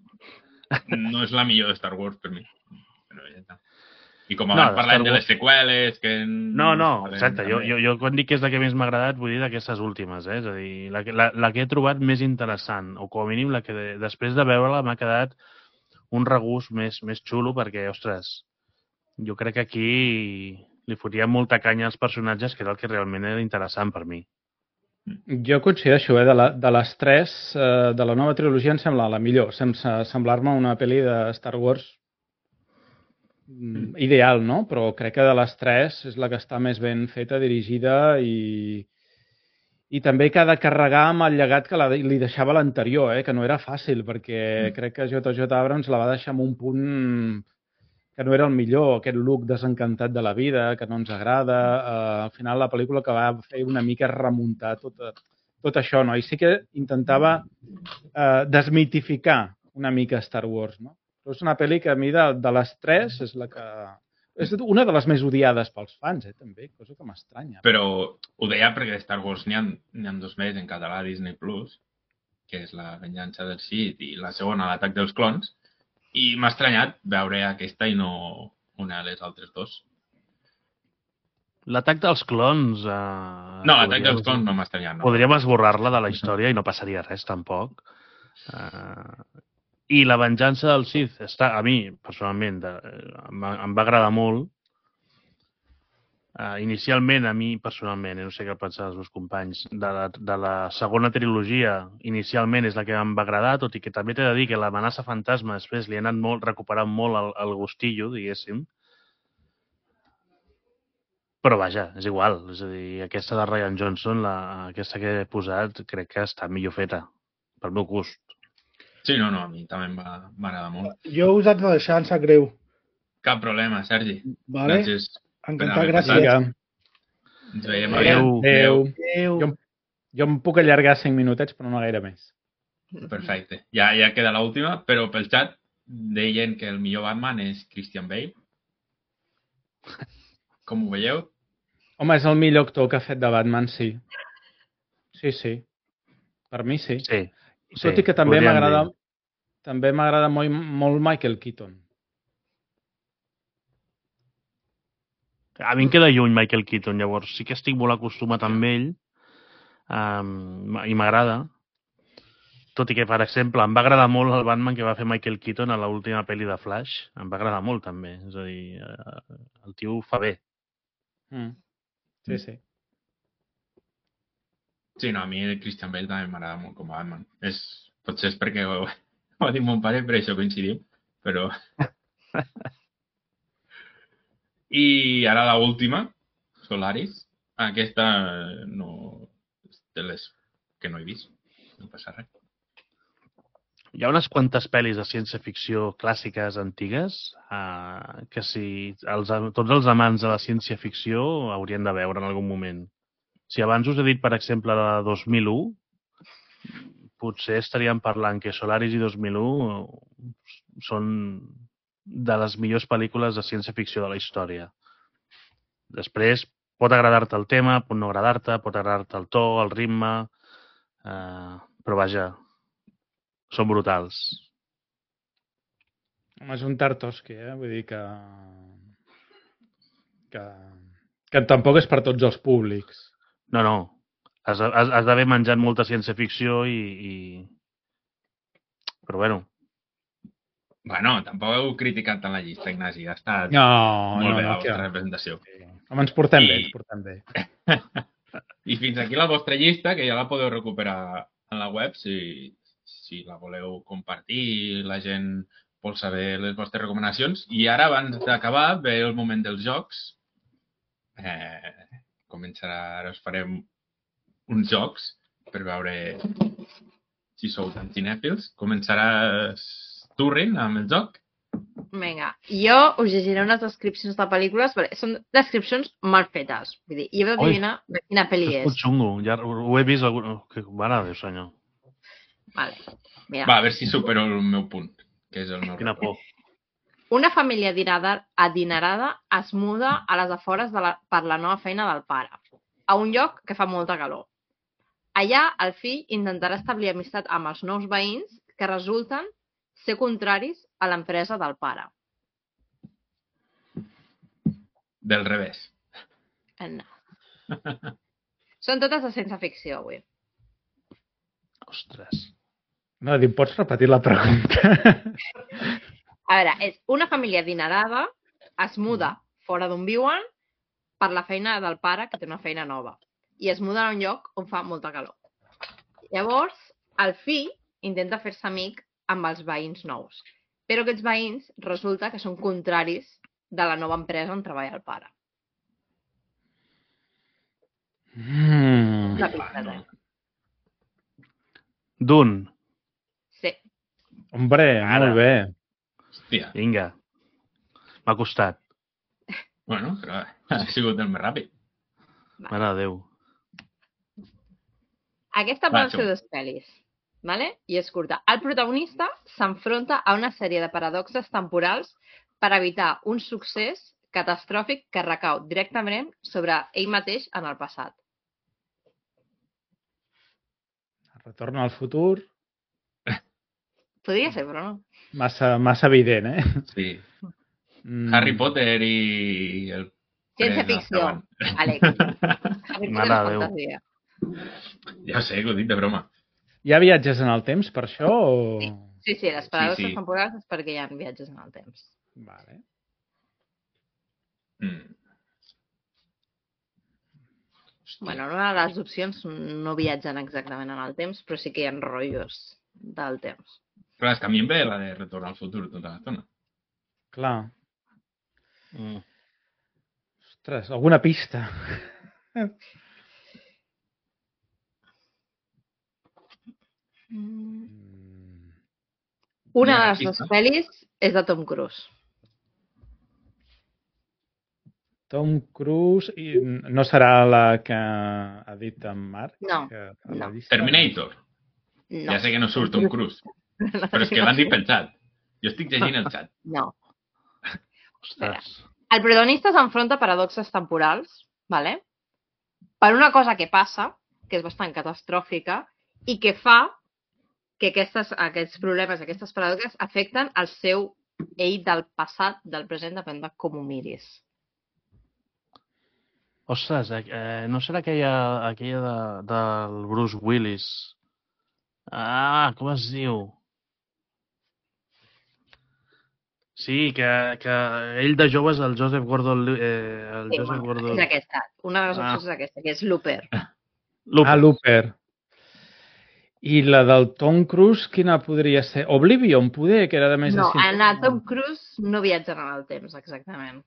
No és la millor de Star Wars per mi. Però ja està. I com abans parlem de les seqüeles... que No, exacte. Jo quan dic que és la que més m'ha agradat vull dir d'aquestes últimes. És a dir, la que he trobat més interessant, o com a mínim la que després de veure-la m'ha quedat un regust més xulo perquè, ostres, jo crec que aquí li fotia molta canya als personatges, que era el que realment era interessant per mi. Jo coincideixo, de les tres, de la nova trilogia em sembla la millor, sense semblar-me una pel·li de Star Wars ideal, no? Però crec que de les tres és la que està més ben feta, dirigida i també que ha de carregar amb el llegat que li deixava l'anterior, que no era fàcil, perquè crec que J.J. Abrams la va deixar en un punt que no era el millor, aquest look desencantat de la vida, que no ens agrada. Al final la pel·lícula que va fer una mica remuntar tot això, no? I sí que intentava desmitificar una mica Star Wars, no? Però és una pel·li que a mi de les tres és la que... És una de les més odiades pels fans, també, cosa que m'estranya. Però ho deia perquè de Star Wars n'hi ha dos més en català a Disney Plus, que és La venjança del Sith i la segona, L'atac dels clons, i m'ha estranyat veure aquesta i no una de les altres dos. L'atac dels clons... No, l'atac dels clons no m'ha estranyat. No. Podríem esborrar-la de la història i no passaria res, tampoc. I La venjança del Sith, a mi, personalment, em va agradar molt. Inicialment, a mi, personalment, no sé què pensar els meus companys, de la segona trilogia, inicialment és la que em va agradar, tot i que també t'he de dir que l'amenaça fantasma després li ha anat recuperant molt el gustillo, diguéssim. Però vaja, és igual. És a dir, aquesta de Rian Johnson, aquesta que he posat, crec que està millor feta, pel meu gust. Sí, no, a mi també m'agrada molt. Jo us haig de deixar, em sap greu. Cap problema, Sergi. Vale. Gràcies. Encantat, gràcies. Ens veiem. Adéu. Jo em puc allargar 5 minutets, però no gaire més. Perfecte. Ja queda l'última, però pel xat deien que el millor Batman és Christian Bale. Com ho veieu? Home, és el millor actor que ha fet de Batman, sí. Sí. Per mi, sí. Sí. Tot i que també m'agrada molt Michael Keaton. A mi em queda lluny Michael Keaton, llavors sí que estic molt acostumat amb ell i m'agrada. tot i que, per exemple, em va agradar molt el Batman que va fer Michael Keaton a l'última pel·li de Flash. Em va agradar molt, també. És a dir, el tio ho fa bé. Sí, sí. Sí, no, a mi el Christian Bale també m'agrada molt com a Batman. Potser és perquè ho ha dit mon pare, per això coincidim, però... I ara l'última, Solaris. Aquesta no... és de les que no he vist. No passa res. Hi ha unes quantes pel·lis de ciència-ficció clàssiques antigues que si tots els amants de la ciència-ficció haurien de veure en algun moment. Si abans us he dit, per exemple, la de 2001, potser estaríem parlant que Solaris i 2001 són de les millors pel·lícules de ciència-ficció de la història. Després, pot agradar-te el tema, pot no agradar-te, pot agradar-te el to, el ritme, però vaja, són brutals. Home, és un Tartovsky, vull dir que tampoc és per tots els públics. No. Has d'haver menjat molta ciència-ficció Però bueno. Bueno, tampoc heu criticat tant la llista, Ignasi. Ha estat molt bé la vostra representació. Home, ens portem bé. I fins aquí la vostra llista, que ja la podeu recuperar en la web, si la voleu compartir, la gent vol saber les vostres recomanacions. I ara, abans d'acabar, ve el moment dels jocs. Ara us farem uns jocs per veure si sou tan cinèfils. Començaràs tu, Rin, amb el joc? Vinga, jo us llegiré unes descripcions de pel·lícules, perquè són descripcions mal fetes. Vull dir, jo he d'adivinar de quina pel·li és. És xungo, ja ho he vist. Mare de Déu, senyor. Vale, mira. Va, a veure si supero el meu punt, que és el meu Quina por. Una família adinerada es muda a les afores per la nova feina del pare, a un lloc que fa molta calor. Allà, el fill intentarà establir amistat amb els nous veïns que resulten ser contraris a l'empresa del pare. Del revés. No. Són totes de ciència-ficció, avui. Ostres. No, pots repetir la pregunta? A veure, és una família adinerada, es muda fora d'on viuen per la feina del pare, que té una feina nova. I es muda a un lloc on fa molta calor. Llavors, el fill intenta fer-se amic amb els veïns nous. Però aquests veïns resulta que són contraris de la nova empresa on treballa el pare. La pista, Dune. Sí. Hombre, molt bé. Hòstia. Vinga. M'ha costat. Bueno, però ha sigut el més ràpid. Mare de Déu. Aquesta poden ser dues pel·lis, ¿vale? I és curta. El protagonista s'enfronta a una sèrie de paradoxes temporals per evitar un succés catastròfic que recau directament sobre ell mateix en el passat. Retorn al futur. Podria ser, però no. Massa evident, Sí. Harry Potter i el... Ciència-ficció, Àlex. Harry Potter és fantasia. Ja sé, que ho dic de broma. Hi ha viatges en el temps per això? O... Sí, les paradoxes temporals és perquè hi ha viatges en el temps. Vale. Bueno, una de les opcions no viatgen exactament en el temps, però sí que hi ha rotllos del temps. Clar, és que a mi em ve la de Retorn al futur tota l'estona. Clar. Ostres, alguna pista? Una de les dues pel·lis és de Tom Cruise. Tom Cruise... No serà la que ha dit en Marc? No. Terminator. No. Ja sé que no surt Tom Cruise. Però és que l'han dit pel xat. Jo estic llegint el xat. No. Ostres. El protagonista s'enfronta a paradoxes temporals, ¿vale? Per una cosa que passa, que és bastant catastròfica, i que fa que aquests problemes, aquestes paradoxes, afecten el seu ell del passat, del present, depèn de com ho miris. Ostres, no serà aquella del Bruce Willis Com es diu? Sí, que ell de jove és el Joseph Gordon... Sí, és aquesta. Una de les opcions és aquesta, que és Looper. Looper. I la del Tom Cruise, quina podria ser? Oblivion, poder, que era de més de 100 anys. No, en Tom Cruise no viatgen en el temps, exactament.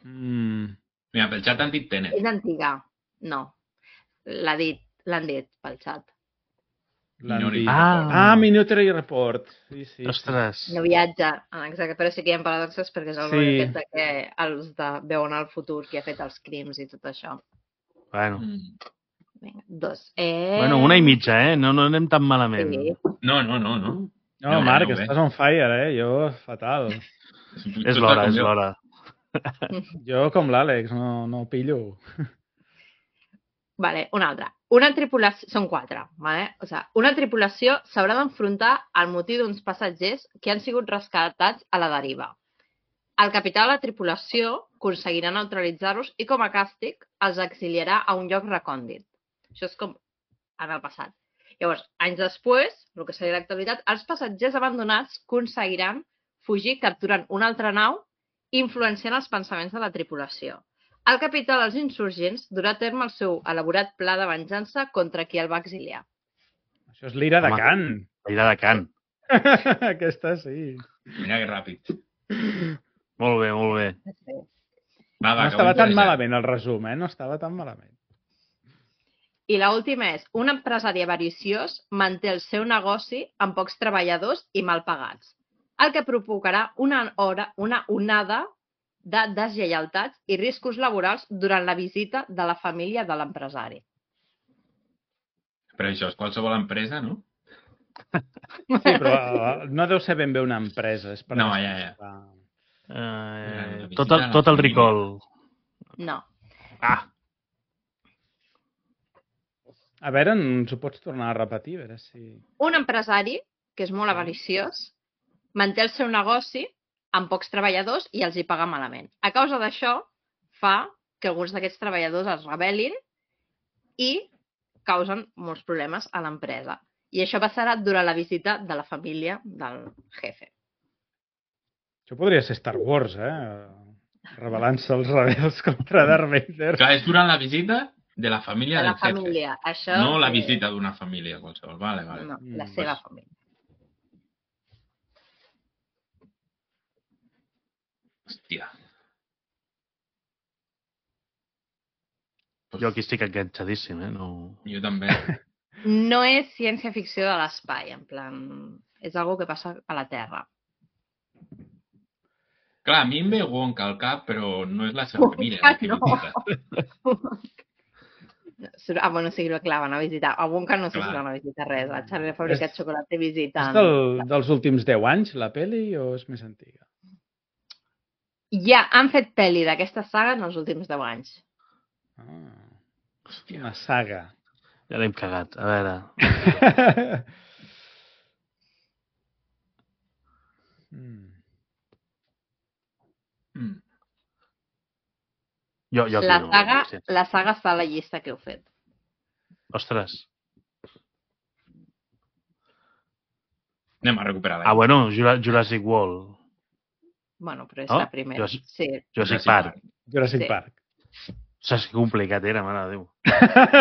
Mira, pel xat han dit Tenet. És antiga. No. L'han dit pel xat. Minority Report. Sí. Ostres. No viatja, exacte, però sí que hi ha paradoxes perquè és el rotllo aquest que els veuen al futur qui ha fet els crims i tot això. Bueno. Vinga, 2. Bueno, 1 i mitja, No anem tan malament. Sí. No. No, Marc, estàs on fire, Jo, fatal. És l'hora. Jo, com l'Àlex, no pillo. Vale, una altra. Una tripulació... Són 4, vale? O sigui, una tripulació s'haurà d'enfrontar al motiu d'uns passatgers que han sigut rescatats a la deriva. El capità de la tripulació aconseguirà neutralitzar-los i, com a càstig, els exiliarà a un lloc recòndit. Això és com en el passat. Llavors, anys després, el que seria l'actualitat, els passatgers abandonats aconseguiran fugir capturant una altra nau influenciant els pensaments de la tripulació. El capità dels insurgents durà a terme el seu elaborat pla de venjança contra qui el va exiliar. Això és l'ira de Khan. L'ira de Khan. Aquesta sí. Mira que ràpid. Molt bé. No estava tan malament el resum, No estava tan malament. I l'última és, un empresari avariciós manté el seu negoci amb pocs treballadors i mal pagats, el que provocarà una onada de deslleialtats i riscos laborals durant la visita de la família de l'empresari. Però això és qualsevol empresa, no? Sí, però no deu ser ben bé una empresa. És per tot el recall. No. A veure, ens ho pots tornar a repetir? A veure si... Un empresari, que és molt avariciós, manté el seu negoci amb pocs treballadors i els hi paga malament. A causa d'això, fa que alguns d'aquests treballadors es rebel·lin i causen molts problemes a l'empresa. I això passarà durant la visita de la família del jefe. Això podria ser Star Wars, Rebel·lant-se els rebels contra Darth Vader. Clar, és durant la visita de la família del jefe. Família. Això, no la visita d'una família qualsevol. Vale. No, la seva família. Hòstia. Jo aquí estic enganxadíssim, No... Jo també. No és ciència-ficció de l'espai, en plan... És algo que passa a la Terra. Clar, a mi em ve Wonka al cap, però no és la seva família. Bueno, sí, clar, van a visitar. A Wonka no sé si van a visitar res. A Charlie ha fabricat xocolata i visitant. És dels últims 10 anys, la peli, o és més antiga? Ja han fet pel·li d'aquesta saga en els últims 10 anys. Una saga. Ja l'hem cagat. A veure... La saga està a la llista que heu fet. Ostres. Anem a recuperar la bueno, Jurassic World. Bueno, però és la primera. Jurassic Park. Jurassic Park. Saps que complicat era, mare de Déu.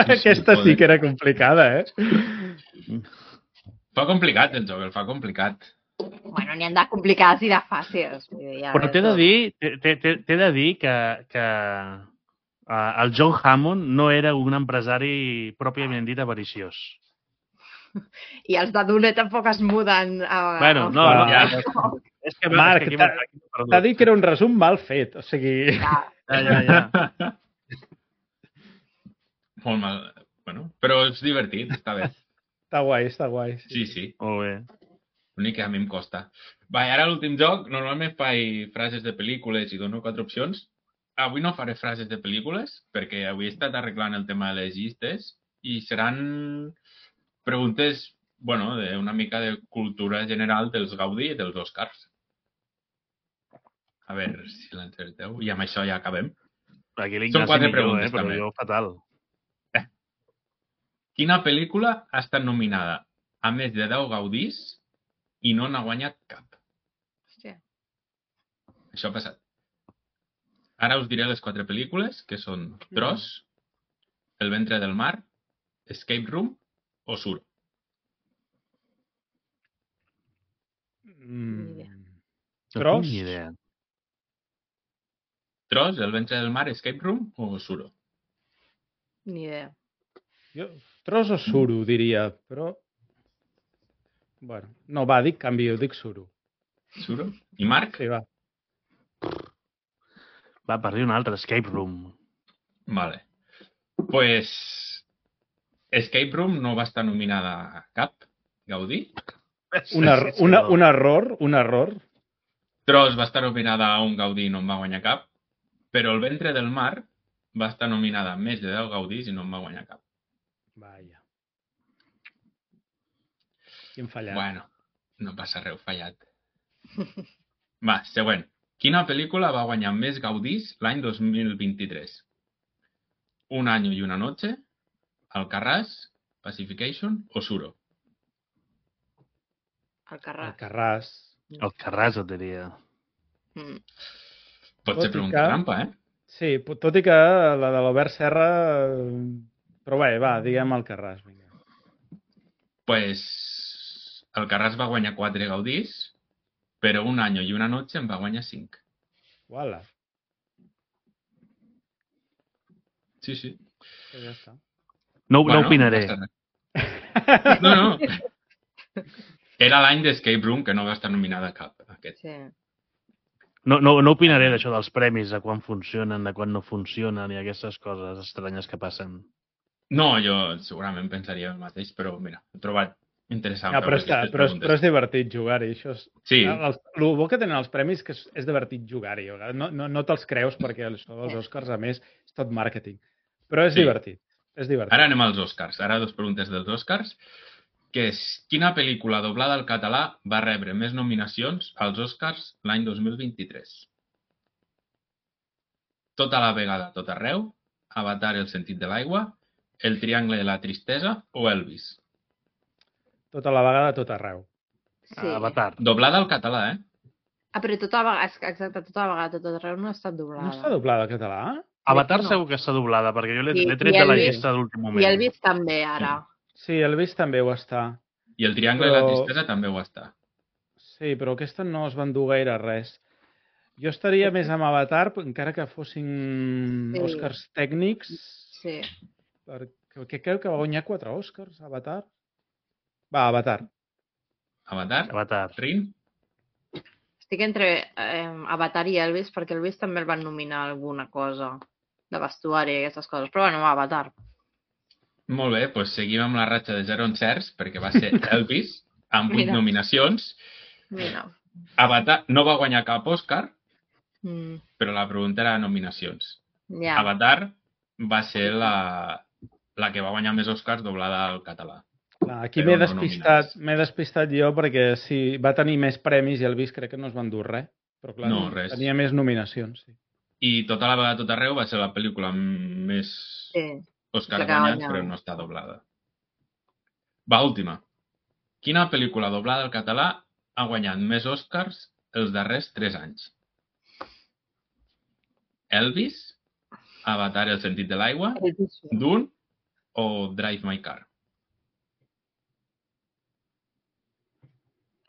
Aquesta sí que era complicada, Fa complicat el joc, el fa complicat. Bueno, n'hi han de complicades i de fàcils. Però t'he de dir que el John Hammond no era un empresari pròpiament dit avariciós. I els de Dune tampoc es muden a... Bueno, no. És que Marc, t'ha dit que era un resum mal fet, o sigui... Ja. Molt mal. Bueno, però és divertit, està bé. Està guai. Sí. Molt bé. L'únic que a mi em costa. Va, ara l'últim joc, normalment faig frases de pel·lícules i dono 4 opcions. Avui no faré frases de pel·lícules, perquè avui he estat arreglant el tema de les llistes i seran preguntes, bueno, una mica de cultura general dels Gaudí i dels Oscars. A veure si l'encerteu. I amb això ja acabem. Aquí l'Ignasi millor, però jo fatal. Quina pel·lícula ha estat nominada a més de 10 gaudís i no n'ha guanyat cap. Hòstia. Això ha passat. Ara us diré les 4 pel·lícules, que són Tros, El ventre del mar, Escape Room o Suro. Tros? No tinc ni idea. Tros, El ventre del mar, Escape Room o Suro? Ni idea. Jo, Tros o Suro, diria, però... Bueno, no, va, canvio, dic Suro. Suro? I Marc? Sí, va. Va, per dir un altre, Escape Room. Vale. Pues Escape Room no va estar nominada a cap Gaudí. Un error. Tros va estar nominada a un Gaudí i no en va guanyar cap, però El ventre del mar va estar nominada a més de 10 Gaudís i no en va guanyar cap. Vaja. Quin fallat. Bueno, no passa res, fallat. Va, següent. Quina pel·lícula va guanyar més Gaudís l'any 2023? Un año y una noche, Alcarràs, Pacification o Suro? Alcarràs. Alcarràs, et diria. Pot ser pregunta trampa, eh? Sí, tot i que la de l'Albert Serra... Però bé, va, diguem Alcarràs. Vinga. Pues Alcarràs va guanyar 4 Gaudís, però Un año y una noche en va guanyar 5. Uala. Sí, sí. Ja està. No opinaré. No. Era l'any d'Escape Room, que no va estar nominada a cap. Aquest. Sí. No opinaré d'això dels premis, de quan funcionen, de quan no funcionen i aquestes coses estranyes que passen. No, jo segurament pensaria el mateix, però mira, he trobat interessant. Però és divertit jugar-hi. Això és... Sí. El bo que tenen els premis que és divertit jugar-hi. No te'ls creus perquè això dels Oscars, a més, és tot màrqueting. Però és divertit. És divertit. Ara anem als Oscars. Ara 2 preguntes dels Oscars. Que és, quina pel·lícula doblada al català va rebre més nominacions als Oscars l'any 2023? Tota la vegada, tot arreu, Avatar, el sentit de l'aigua, El triangle de la tristesa o Elvis? Tota la vegada, tot arreu. Sí. Avatar. Doblada al català, eh? Però tota la vegada, exacte, tota la vegada, tot arreu no ha estat doblada. No està doblada al català? Avatar segur que està doblada, perquè jo l'he tret de la llista d'últim moment. I Elvis també, ara. Sí, Elvis també ho està. I El triangle de la tristesa també ho està. Sí, però aquesta no es va endur gaire res. Jo estaria més amb Avatar, encara que fossin Oscars tècnics. Sí. Perquè crec que va guanyar 4 Oscars, Avatar. Va, Avatar. Avatar? Rin? Estic entre Avatar i Elvis, perquè Elvis també el van nominar alguna cosa de vestuari i aquestes coses. Però bueno, Avatar. Molt bé, doncs seguim amb la ratxa de 0 encerts, perquè va ser Elvis, amb 8 nominacions. Mira. Avatar no va guanyar cap Òscar, però la pregunta era nominacions. Avatar va ser la que va guanyar més Òscars doblada al català. Aquí m'he despistat jo perquè sí, va tenir més premis i Elvis crec que no es va endur res. Però clar, no, res. Tenia més nominacions. Sí. I Tota la vegada, tot arreu va ser la pel·lícula més Òscar guanyats, però no està doblada. Va, última. Quina pel·lícula doblada al català ha guanyat més Òscars els darrers 3 anys? Elvis, Avatar, el sentit de l'aigua, Dune o Drive My Car?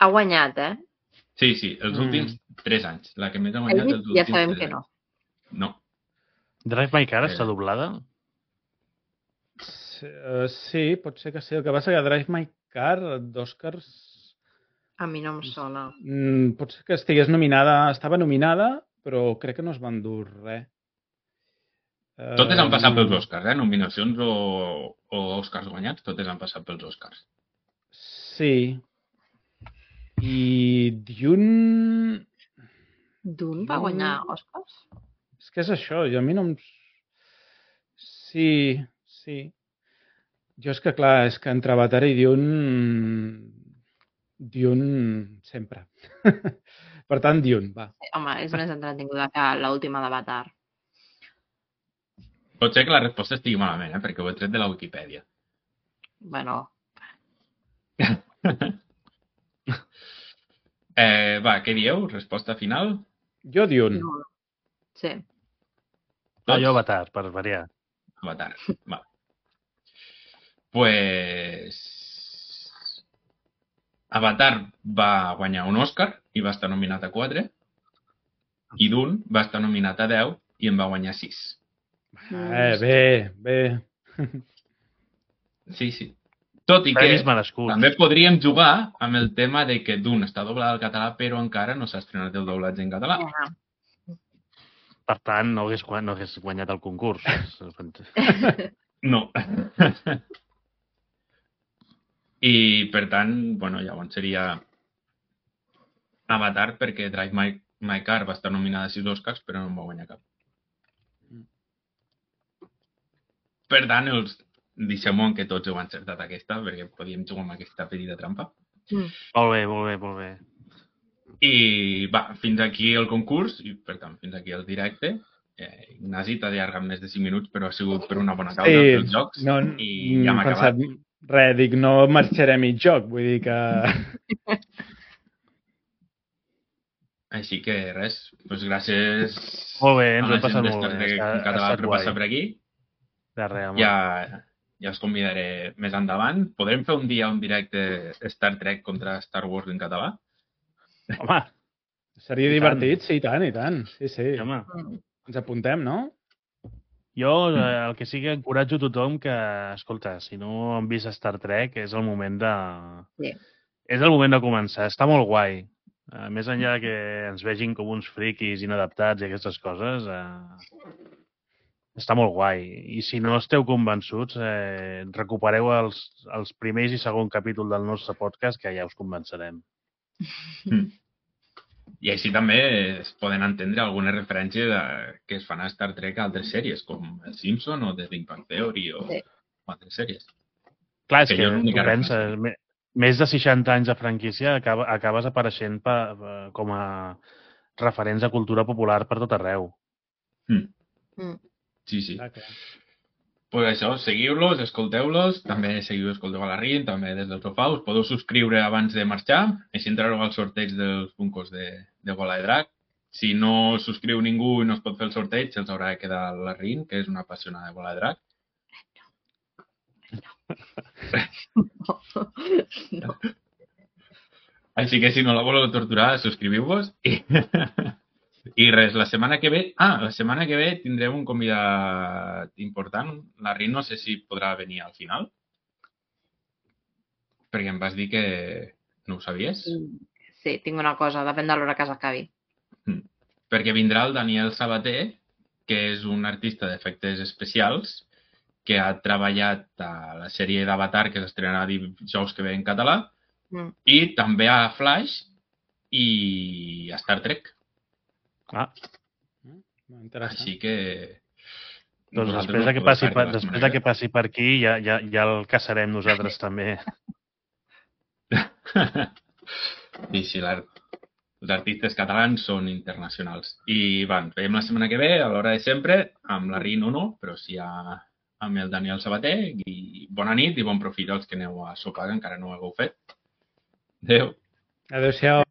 Ha guanyat, Sí, els últims 3 anys. La que més ha guanyat els últims 3 anys. Ja sabem que no. No. Drive My Car està doblada? Sí, pot ser que sí. El que passa que Drive My Car d'Oscars... A mi no em sona. Pot ser que estigués nominada, estava nominada, però crec que no es va endur res. Totes han passat pels Oscars, nominacions o Oscars guanyats, totes han passat pels Oscars. Sí. I Dune... Dune va guanyar Oscars? És que és això, a mi no em... Sí. Jo és que, clar, és que entre Avatar i Dune sempre. Per tant, Dune, va. Home, és més entretinguda que l'última d'Avatar. Pot ser que la resposta estigui malament, perquè ho he tret de la Wikipedia. Bueno... Va, què dieu? Resposta final? Jo Dune. No. Sí. No, jo Avatar, per variar. Avatar, va. Pues... Avatar va guanyar un Òscar i va estar nominat a 4, i Dune va estar nominat a 10 i en va guanyar 6. Bé. Sí. Tot i que Premis merescuts. també podríem jugar amb el tema de que Dune està doblat al català però encara no s'ha estrenat el doblatge en català. Per tant, no hagués guanyat el concurs. No. I, per tant, bueno, llavors seria Avatar perquè Drive My Car va estar nominada a 6 Oscars però no en va guanyar cap. Per tant, deixem-ho que tots heu encertat aquesta perquè podíem jugar amb aquesta petita trampa. Molt bé. I va, fins aquí el concurs i, per tant, fins aquí el directe. Ignasi t'ha allargat més de 5 minuts, però ha sigut per una bona causa dels jocs i ja hem acabat. Res, dic, no marxaré mig joc, vull dir que... Així que res, doncs gràcies Molt bé, ens a ho la hem passat gent molt bé. en català per passar per aquí. De res, home. Ja us convidaré més endavant. Podrem fer un dia un directe Star Trek contra Star Wars en català? Home, Seria divertit, sí, i tant. Sí. home. Ens apuntem, no? Jo el que sí que encoratjo tothom que, escolta, si no han vist Star Trek, és el moment de... Sí. És el moment de començar. Està molt guai. Més enllà que ens vegin com uns friquis inadaptats i aquestes coses, està molt guai. I si no esteu convençuts, recupereu els primers i segon capítol del nostre podcast, que ja us convencerem. I així també es poden entendre algunes referències que es fan a Star Trek a altres sèries, com El Simpson o The Big Bang Theory o altres sèries. Clar, és Que que jo l'única tu penses, més de 60 anys de franquícia acabes apareixent com a referents de cultura popular per tot arreu. Sí. Pues això, seguiu-los, escolteu-los, també escolteu a la RIN, també des del sofà, us podeu subscriure abans de marxar, així entrareu al sorteig dels Funkos de Bola de Drac. Si no subscriu ningú i no es pot fer el sorteig, els haurà de quedar la RIN, que és una apassionada de Bola de Drac. No. Així que si no la voleu torturar, subscriviu-vos i res, la setmana que ve tindrem un convidat important. La Rin no sé si podrà venir al final, perquè em vas dir que no ho sabies. Sí, tinc una cosa, depèn de l'hora que s'acabi. Perquè vindrà el Daniel Sabater, que és un artista d'efectes especials que ha treballat a la sèrie d'Avatar que s'estrenarà dijous que ve en català i també a Flash i a Star Trek. Així que... Doncs després de que passi per aquí ja el caçarem nosaltres també. Sí, els artistes catalans són internacionals. I ens veiem la setmana que ve, a l'hora de sempre, amb la Rin o no, però sí amb el Daniel Sabater. I bona nit i bon profit als que aneu a sopar, que encara no ho hagueu fet. Adéu. Adéu-siau.